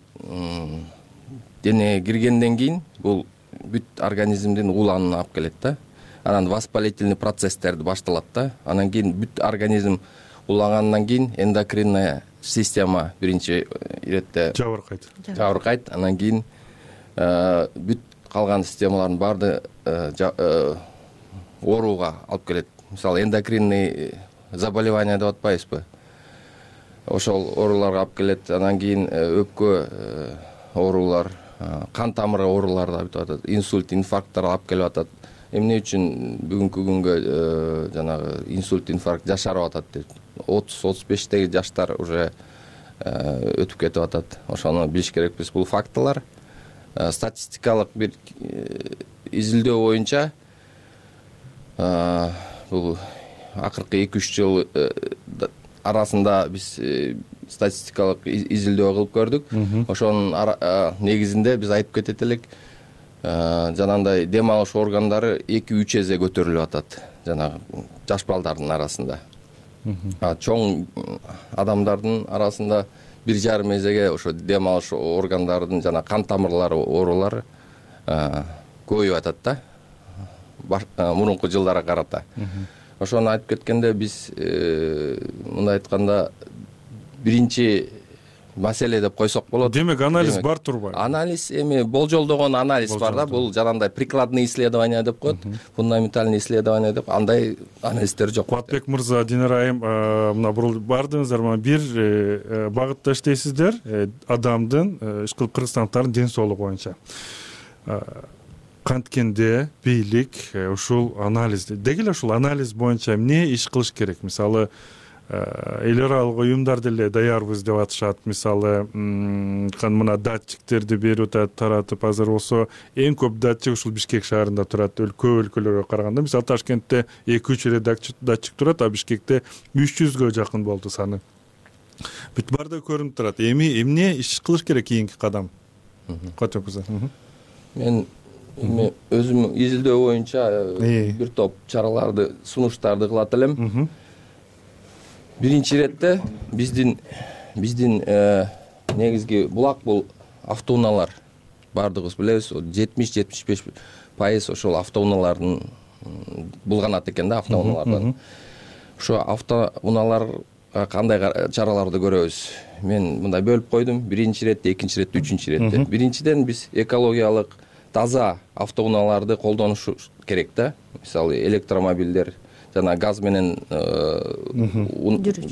денеге киргенден кийин бул бүт организмдин уланына алып келет да. Анан воспалительный процесстерди башталат да. Анан кийин бүт организм улангандан кийин эндокринная система биринчи иретте жабыркайт. Анан кийин бүт калган системалардын баарды ооруга алып келет. Мисалы, эндокринный заболевание деп атпайбызбы? Ошол ооруларга алып келет. Анан кийин өпкө оорулар, кан тамыры оорулары да бүтүп атат. Инсульт, инфаркттар алып келип атат. Эмне үчүн бүгүнкү күнгө жанагы инсульт, инфаркт жашарып атат деп. 30-35теги жаштар уже өтүп кетип атат. Ошону билиш керекпиз. Бул фактылар. Статистикалык бир изилдөө боюнча бул акыркы 2-3 жыл арасында биз статистикалык изилдөө кылып көрдүк. Ошонун негизинде биз айтып кетет элек, жанагындай дем алыш органдары 2-3 эсе көтөрүлүп атат жанагы жаш балдардын арасында. Чоң адамдардын арасында 1,5 эсеге ошо дем алыш органдардын жана кан тамырлары оорулары көбөйүп атат да. Мурунку жылдарга карата. Ошону айтып кеткенде биз мындай айтканда биринчи маселе деп койсок болот. Демек анализ бар турбайбы? Анализ эми болжолдогон анализ бар да. Бул жанагындай прикладный исследование деп коет, фундаментальный исследование деп, андай анализдер жок. Кубатбек мырза, Динара айым, мына бурулуп бардыңыздар, мына бир багытта иштейсиздер, адамдын, ишкыл кыргызстандыктардын ден соолугу боюнча. Канткенде бийлик ушул анализди, деги эле ушул анализ боюнча эмне иш кылыш керек? Мисалы, эл аралык уюмдар деле даярбыз деп атышат. Мисалы, мына датчиктерди берип атат, таратып, азыр болсо эң көп датчик ушул Бишкек шаарында турат, көп өлкөлөргө караганда. Мисалы, Ташкентте 2-3 эле датчик турат, а Бишкекте 300гө жакын болду саны. Бүт баарда көрүнүп турат. Эмне иш кылыш керек кийинки кадам? Мен өзүм изилдөө боюнча бир топ чараларды, сунуштарды кылат элем. Биринчи иретте биздин негизги булак бул автоунаалар. Бардыгыбыз билебиз, 70-75% ошол автоунаалардын булганат экен да, автоунаалардан. Ошо автоунааларга кандай чараларды көрөбүз? Мен мындай бөлүп койдум. Биринчи иретте, экинчи иретте, үчүнчү иретте. Биринчиден биз экологиялык таза автоунааларды колдонуш керек да. Мисалы, электромобилдер жана газ менен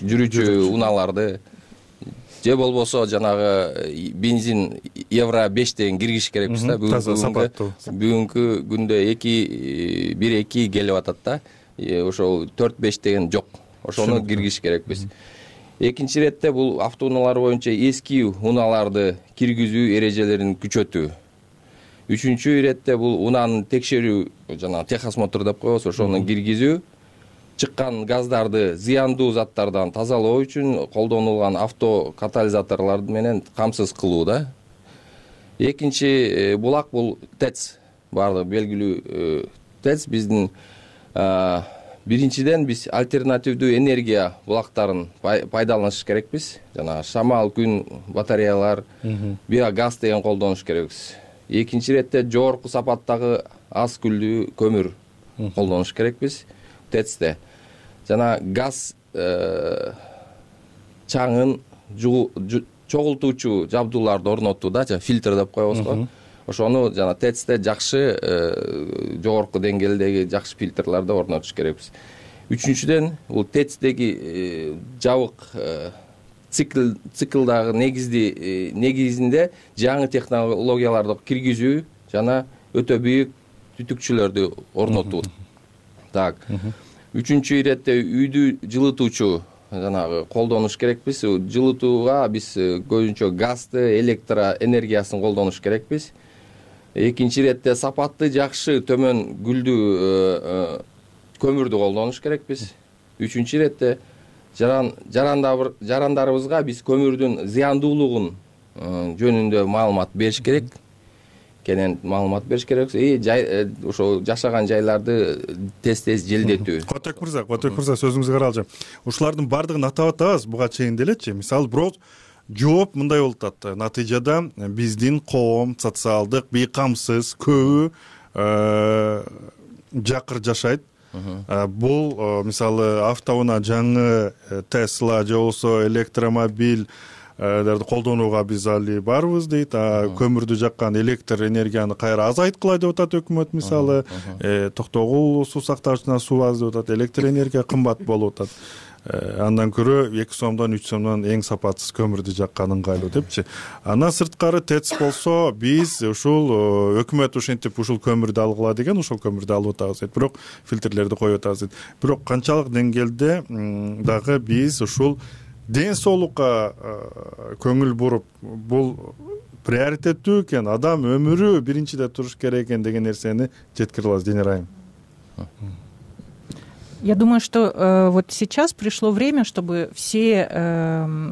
жүрүүчү унааларды, же болбосо жанагы бензин евро 5 деген киргиш керекпиз да. Бүгүнкү күндө 1-2 келип атат да. Ошол 4-5 деген жок. Ошону киргиш керекпиз. Экинчи иретте бул автоунаалар боюнча эски унааларды киргизүү эрежелерин күчөтүү. Үчүнчү иретте бул унааны текшерүү, жана техосмотр деп коебуз, ошону киргизүү, чыккан газдарды зыяндуу заттардан тазалоо үчүн колдонулган автокатализаторлор менен камсыз кылуу да. Экинчи булак бул ТЭЦ, баардыгы белгилүү ТЭЦ. Биздин биринчиден биз альтернативдүү энергия булактарын пайдаланыш керекпиз. Жана шамал, күн батареялар, биогаз деген колдонуш керекпиз. Экинчи иретте жогорку сапаттагы аз күлдүү көмүр колдонуш керекпиз ТЭЦте. Жана газ чаңын чогултуучу жабдууларды орнотууда, фильтр деп коебуз го. Ошону жана ТЭЦте жакшы жогорку деңгээлдеги жакшы фильтрларды орнотуш керекпиз. Үчүнчүдөн бул ТЭЦтеги жабык циклдагы негизинде жаңы технологияларды киргизүү жана өтө бийик түтүкчүлөрдү орнотуу. Так. Үчүнчү иретте үйдү жылытуучу жанагы колдонуш керекпиз. Жылытууга биз көбүнчө газды, электроэнергиясын колдонуш керекпиз. Экинчи иретте сапаты жакшы төмөн күлдүү көмүрдү колдонуш керекпиз. Үчүнчү иретте жарандарыбызга биз көмүрдүн зыяндуулугун жөнүндө маалымат бериш керек. Кенен маалымат бериш керек. Ошо жашаган жайларды тез желдетүү. Котек мырза, сөзүңүзгө каралчы. Ушулардын баардыгын атап атабыз буга чейин делечи. Мисалы, бирок жооп мындай болуп атат. Натыйжада биздин коом социалдык бейкамсыз көбү жакыр жашайт. Бул мисалы автоунаа жаңы Tesla же болбосо электромобиль колдонууга биз али барбыз дейт. Көмүрдү жаккан электр энергияны кайра азайткыла деп атат өкмөт. Мисалы, Токтогул суу сактагычына суу аз деп атат, электр энергия кымбат болуп атат. Андан көрө 2 сомдон 3 сомдон эң сапатсыз көмүрдү жаккан ыңгайлуу депчи. Андан сырткары ТЭЦ болсо биз ушул өкмөт ушинтип ушул көмүрдү алгыла деген ушул көмүрдү алып атабыз дейт. Бирок фильтрлерди коюп атабыз дейт. Бирок канчалык деңгээлде дагы биз ушул ден соолукка көңүл буруп, бул приоритеттүү экен, адам өмүрү биринчиде туруш керек экен деген нерсени жеткире алабыз, Денис Айым. Я думаю, что вот сейчас пришло время, чтобы все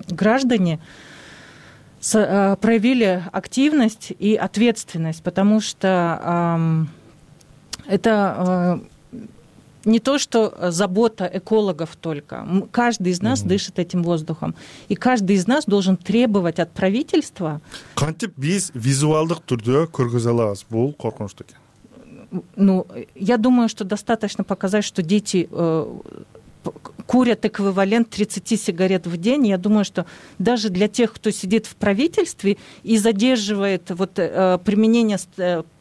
граждане проявили активность и ответственность, потому что это не то, что забота экологов только. Каждый из нас дышит этим воздухом. И каждый из нас должен требовать от правительства... Кантип биз визуалдык түрдө көргөзө алабыз бул коркунучту экен? Ну, я думаю, что достаточно показать, что дети курят эквивалент 30 сигарет в день. Я думаю, что даже для тех, кто сидит в правительстве и задерживает вот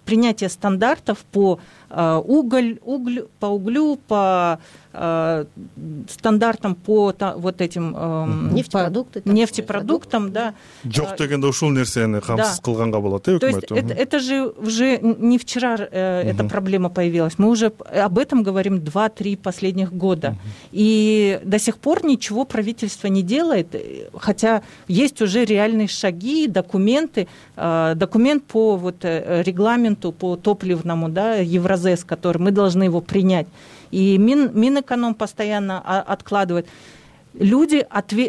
принятие стандартов по углю, по стандартам по вот этим нефтепродуктам, да. Жок дегенде ушул нерсени камсыз кылганга болот, өкмөт. То есть это же уже не вчера эта проблема появилась. Мы уже об этом говорим 2-3 последних года. И до сих пор ничего правительство не делает, хотя есть уже реальные шаги, документы. Документ по вот регламенту, по топливному, да, Евразес, который мы должны его принять. И Минэконом постоянно откладывает. Люди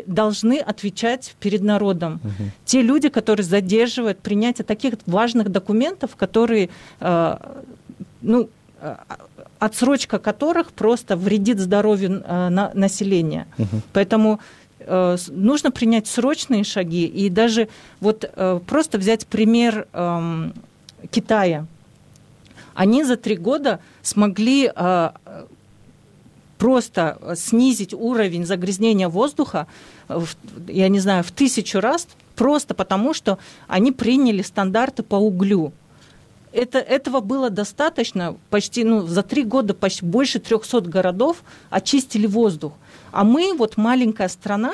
должны отвечать перед народом. Те люди, которые задерживают принятие таких важных документов, которые, отсрочка которых просто вредит здоровью населения. Поэтому нужно принять срочные шаги. И даже вот просто взять пример Китая. Они за 3 года смогли просто снизить уровень загрязнения воздуха, я не знаю, в 1000 раз, просто потому, что они приняли стандарты по углю. Этого было достаточно, почти за 3 года почти больше 300 городов очистили воздух. А мы, вот маленькая страна,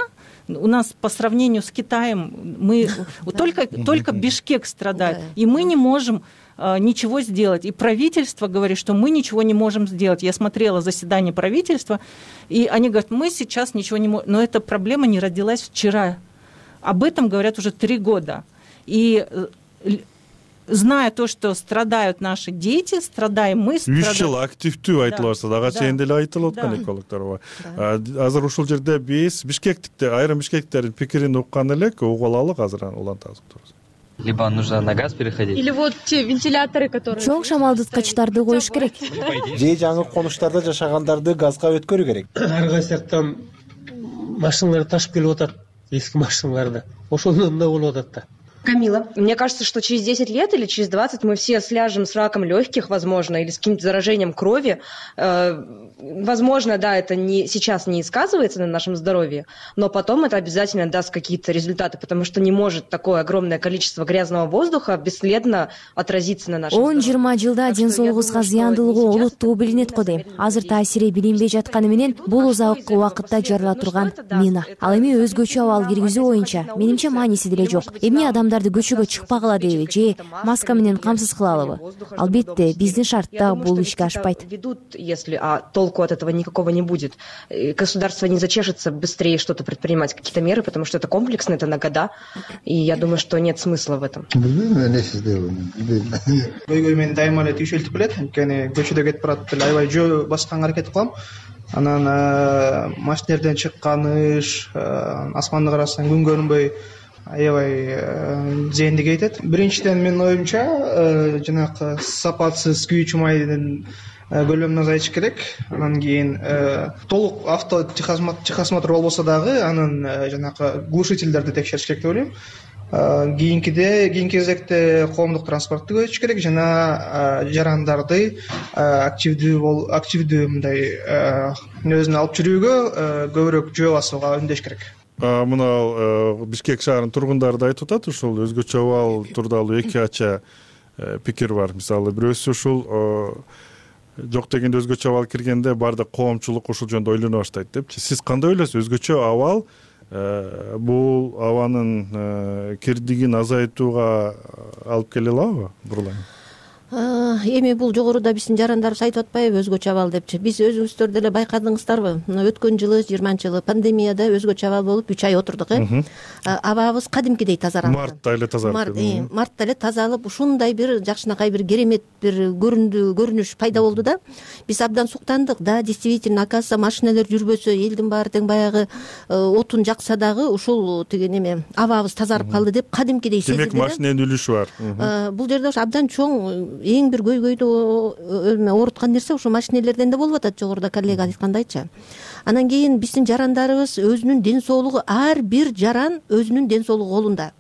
у нас по сравнению с Китаем, мы только Бишкек страдает, и мы не можем ничего сделать. И правительство говорит, что мы ничего не можем сделать. Я смотрела заседание правительства, и они говорят, мы сейчас ничего не можем. Но эта проблема не родилась вчера. Об этом говорят уже 3 года. И зная то, что страдают наши дети, страдаем мы. 3 жыл активдүү айтылып атса ага чейин деле айтылып аткан экологдор. Азыр ушул жерде биз Бишкектикте айрым бишкектиктердин пикирин уккан элек, угуп алалы азыр улантабыз. Либо нужно на газ переходить. Или вот те вентиляторы, которые... Чоң шамалдыткычтарды коюш керек. Же жаңы конуштарда жашагандарды газга өткөрүү керек. Ар кайсы жактан машиналар ташып келип атат, эски машиналарды. Ошондон да болуп атат да. Камила. Мне кажется, что через 10 лет или через 20 мы все сляжем с раком легких, возможно, или с каким-то заражением крови. Возможно, да, это сейчас не сказывается на нашем здоровье, но потом это обязательно даст какие-то результаты, потому что не может такое огромное количество грязного воздуха бесследно отразиться на нашем здоровье. 10-20 жылда ден соолугубузга зыяндуулугу улуттуу билинет го дейм. Азыр таасири билинбей жатканы менен бул узак убакытта жарыла турган мина. Ал эми өзгөчө абал киргизүү боюнча менимче мааниси деле жок. Эмне адамдарды көчөгө чыкпагыла дейби же маска менен камсыз кылалыбы? Албетте, биздин шартта бул ишке ашпайт. Если толку от этого никакого не будет. Государство не зачешется быстрее что-то предпринимать, какие-то меры, потому что это комплексно, это на года, и я думаю, что нет смысла в этом. Көйгөй мен дайыма эле түйшөлтүп келет, анткени көчөдө кетип барат эле аябай жөө басканга аракет кылам. Анан машинерден чыкканыш, асманды карасаң күн көрүнбөй аябай зыянды кетет. Биринчиден менин оюмча жанагы сапатсыз күйүүчү майдын көлөмүн азайтыш керек. Анан кийин толук авто техосмотр болбосо дагы анын жанагы глушительдерди текшериш керек деп ойлойм. Кийинки кезекте коомдук транспортду көбөйтүш керек жана жарандарды активдүү мындай өзүнө алып жүрүүгө көбүрөөк жөө басууга үндөш керек. Мына Бишкек шаарынын тургундары да айтып атат, ушул өзгөчө абал тууралуу эки ача пикир бар. Мисалы бирөөсү ушул жок дегенде өзгөчө абал киргенде баардык коомчулук ушул жөнүндө ойлоно баштайт депчи. Сиз кандай ойлойсуз? Өзгөчө абал бул абанын кирдигин азайтууга алып келе алабы? Бурлайм. Эми бул жогоруда биздин жарандарыбыз айтып атпайбы өзгөчө абал депчи. Биз өзүңүздөр деле байкадыңыздарбы? Өткөн жылы 20-жылы пандемияда өзгөчө абал болуп 3 ай отурдук. Абабыз кадимкидей тазаранды. Мартта эле тазалып. Мартта эле тазалып, ушундай бир жакшынакай бир керемет бир көрүнүш пайда болду да. Биз абдан суктандык да, действительно, оказывается, машиналар жүрбөсө, элдин баары тең баягы отун жакса дагы ушул тиги неме абабыз тазарып калды деп кадимкидей сезилди. Демек машинанын үлүшү бар. Бул жерде абдан чоң эң бир көйгөйдү ооруткан нерсе ушул машинелерден да болуп атат, жогоруда коллега айткандайчы. Анан кийин биздин жарандарыбыз өзүнүн ден соолугу, ар бир жаран өзүнүн ден соолугу колунда.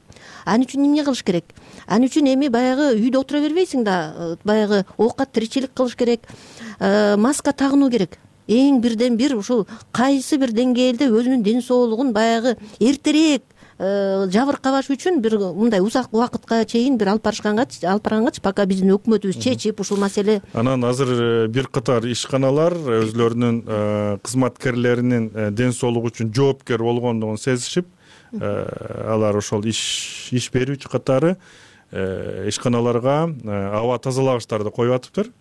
Аны үчүн эмне кылыш керек? Аны үчүн эми баягы үйдө отура бербейсиң да, баягы оокат тиричилик кылыш керек, маска тагынуу керек. Эң бирден бир ушул кайсы бир деңгээлде өзүнүн ден соолугун баягы эртерээк жабыркабаш үчүн бир мындай узак убакытка чейин бир алып баргангач, пока биздин өкмөтүбүз чечип ушул маселе. Анан азыр бир катар ишканалар өзүлөрүнүн кызматкерлеринин ден соолугу үчүн жоопкер болгондугун сезишип, алар ошол иш берүүчү катары ишканаларга аба тазалагычтарды коюп атыптыр.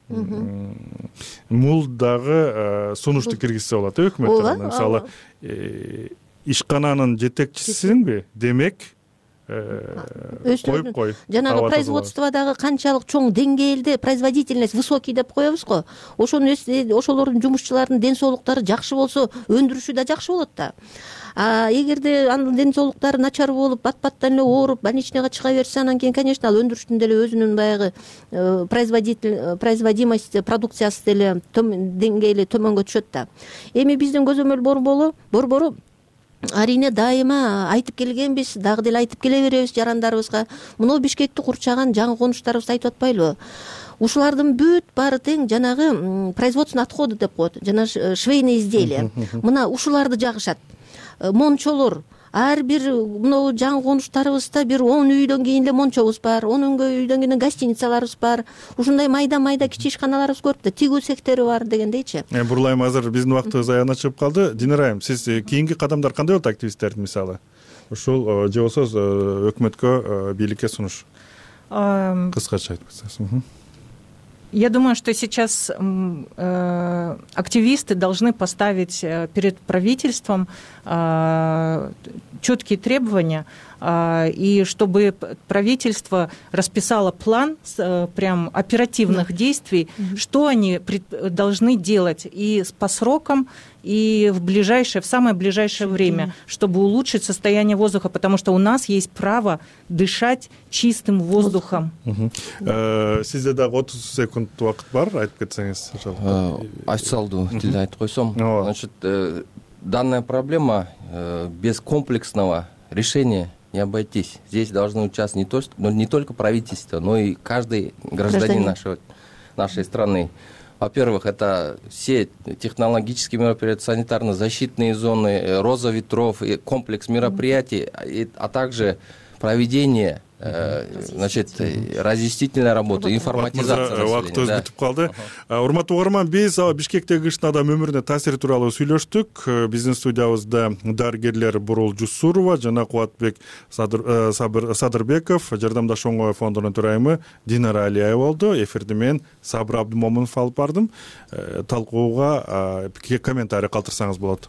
Мул дагы сунушту киргизсе болот өкмөт тарабынан. Мисалы ишкананын жетекчисинби, демек коюп кой. Жанагы производстводагы канчалык чоң деңгээлде производительность высокий деп коебуз го. Ошолордун жумушчуларынын ден соолуктары жакшы болсо, өндүрүшү да жакшы болот да. Эгерде анын ден соолуктары начар болуп, бат-баттан эле ооруп, больничныйга чыга берсе, анан кийин, конечно, ал өндүрүштүн деле өзүнүн баягы производимость продукциясы деле деңгээли төмөнгө түшөт да. Эми биздин көзөмөл борбору арине дайыма айтып келгенбиз, дагы деле айтып келе беребиз жарандарыбызга. Мына Бишкекти курчаган жаңы конуштарыбыз айтып атпайлыбы? Ушулардын бүт баары тең жанагы производственный отходы деп коет, жана швейный изделия. Мына ушуларды жагышат. Мончолор, ар бир мына жаңы конуштарыбызда бир 10 үйдөн кийин эле мончобуз бар, 10 үйдөн кийин гостиницаларыбыз бар. Ушундай майда кичи ишканаларыбыз көп да, тигүү сектори бар дегендейчи. Бурлайм, азыр биздин убактыбыз аягына чыгып калды. Динарайым, сиз кийинки кадамдар кандай болот активисттердин, мисалы? Ушул же болсо өкмөткө, бийликке сунуш. Кыскача айтып кетсеңиз. Я думаю, что сейчас активисты должны поставить перед правительством четкие требования, и чтобы правительство расписало план прям оперативных действий, что они должны делать и по срокам, и в самое ближайшее время, чтобы улучшить состояние воздуха, потому что у нас есть право дышать чистым воздухом. Сизде дагы 30 секунд убакыт бар, айтып кетсеңиз. Официалдуу тилде айтып койсом, значит, данная проблема без комплексного решения не обойтись. Здесь должны участвовать не только правительство, но и каждый гражданин нашей страны. Во-первых, это все технологические мероприятия, санитарно-защитные зоны, роза ветров, комплекс мероприятий, а также проведение разъяснительная работа, информатизация. Убакыт өз бүтүп калды. Урматтуу угарман, биз Бишкектеги кыштын адам өмүрүнө таасири тууралуу сүйлөштүк. Биздин студиябызда дарыгерлер Бурул Жусурова жана Кубатбек Садырбеков, Жардамдаш оңой фондунун төрайымы Динара Алиева болду. Эфирди мен Сабыр Абдымомунов алып бардым. Талкууга комментарий калтырсаңыз болот.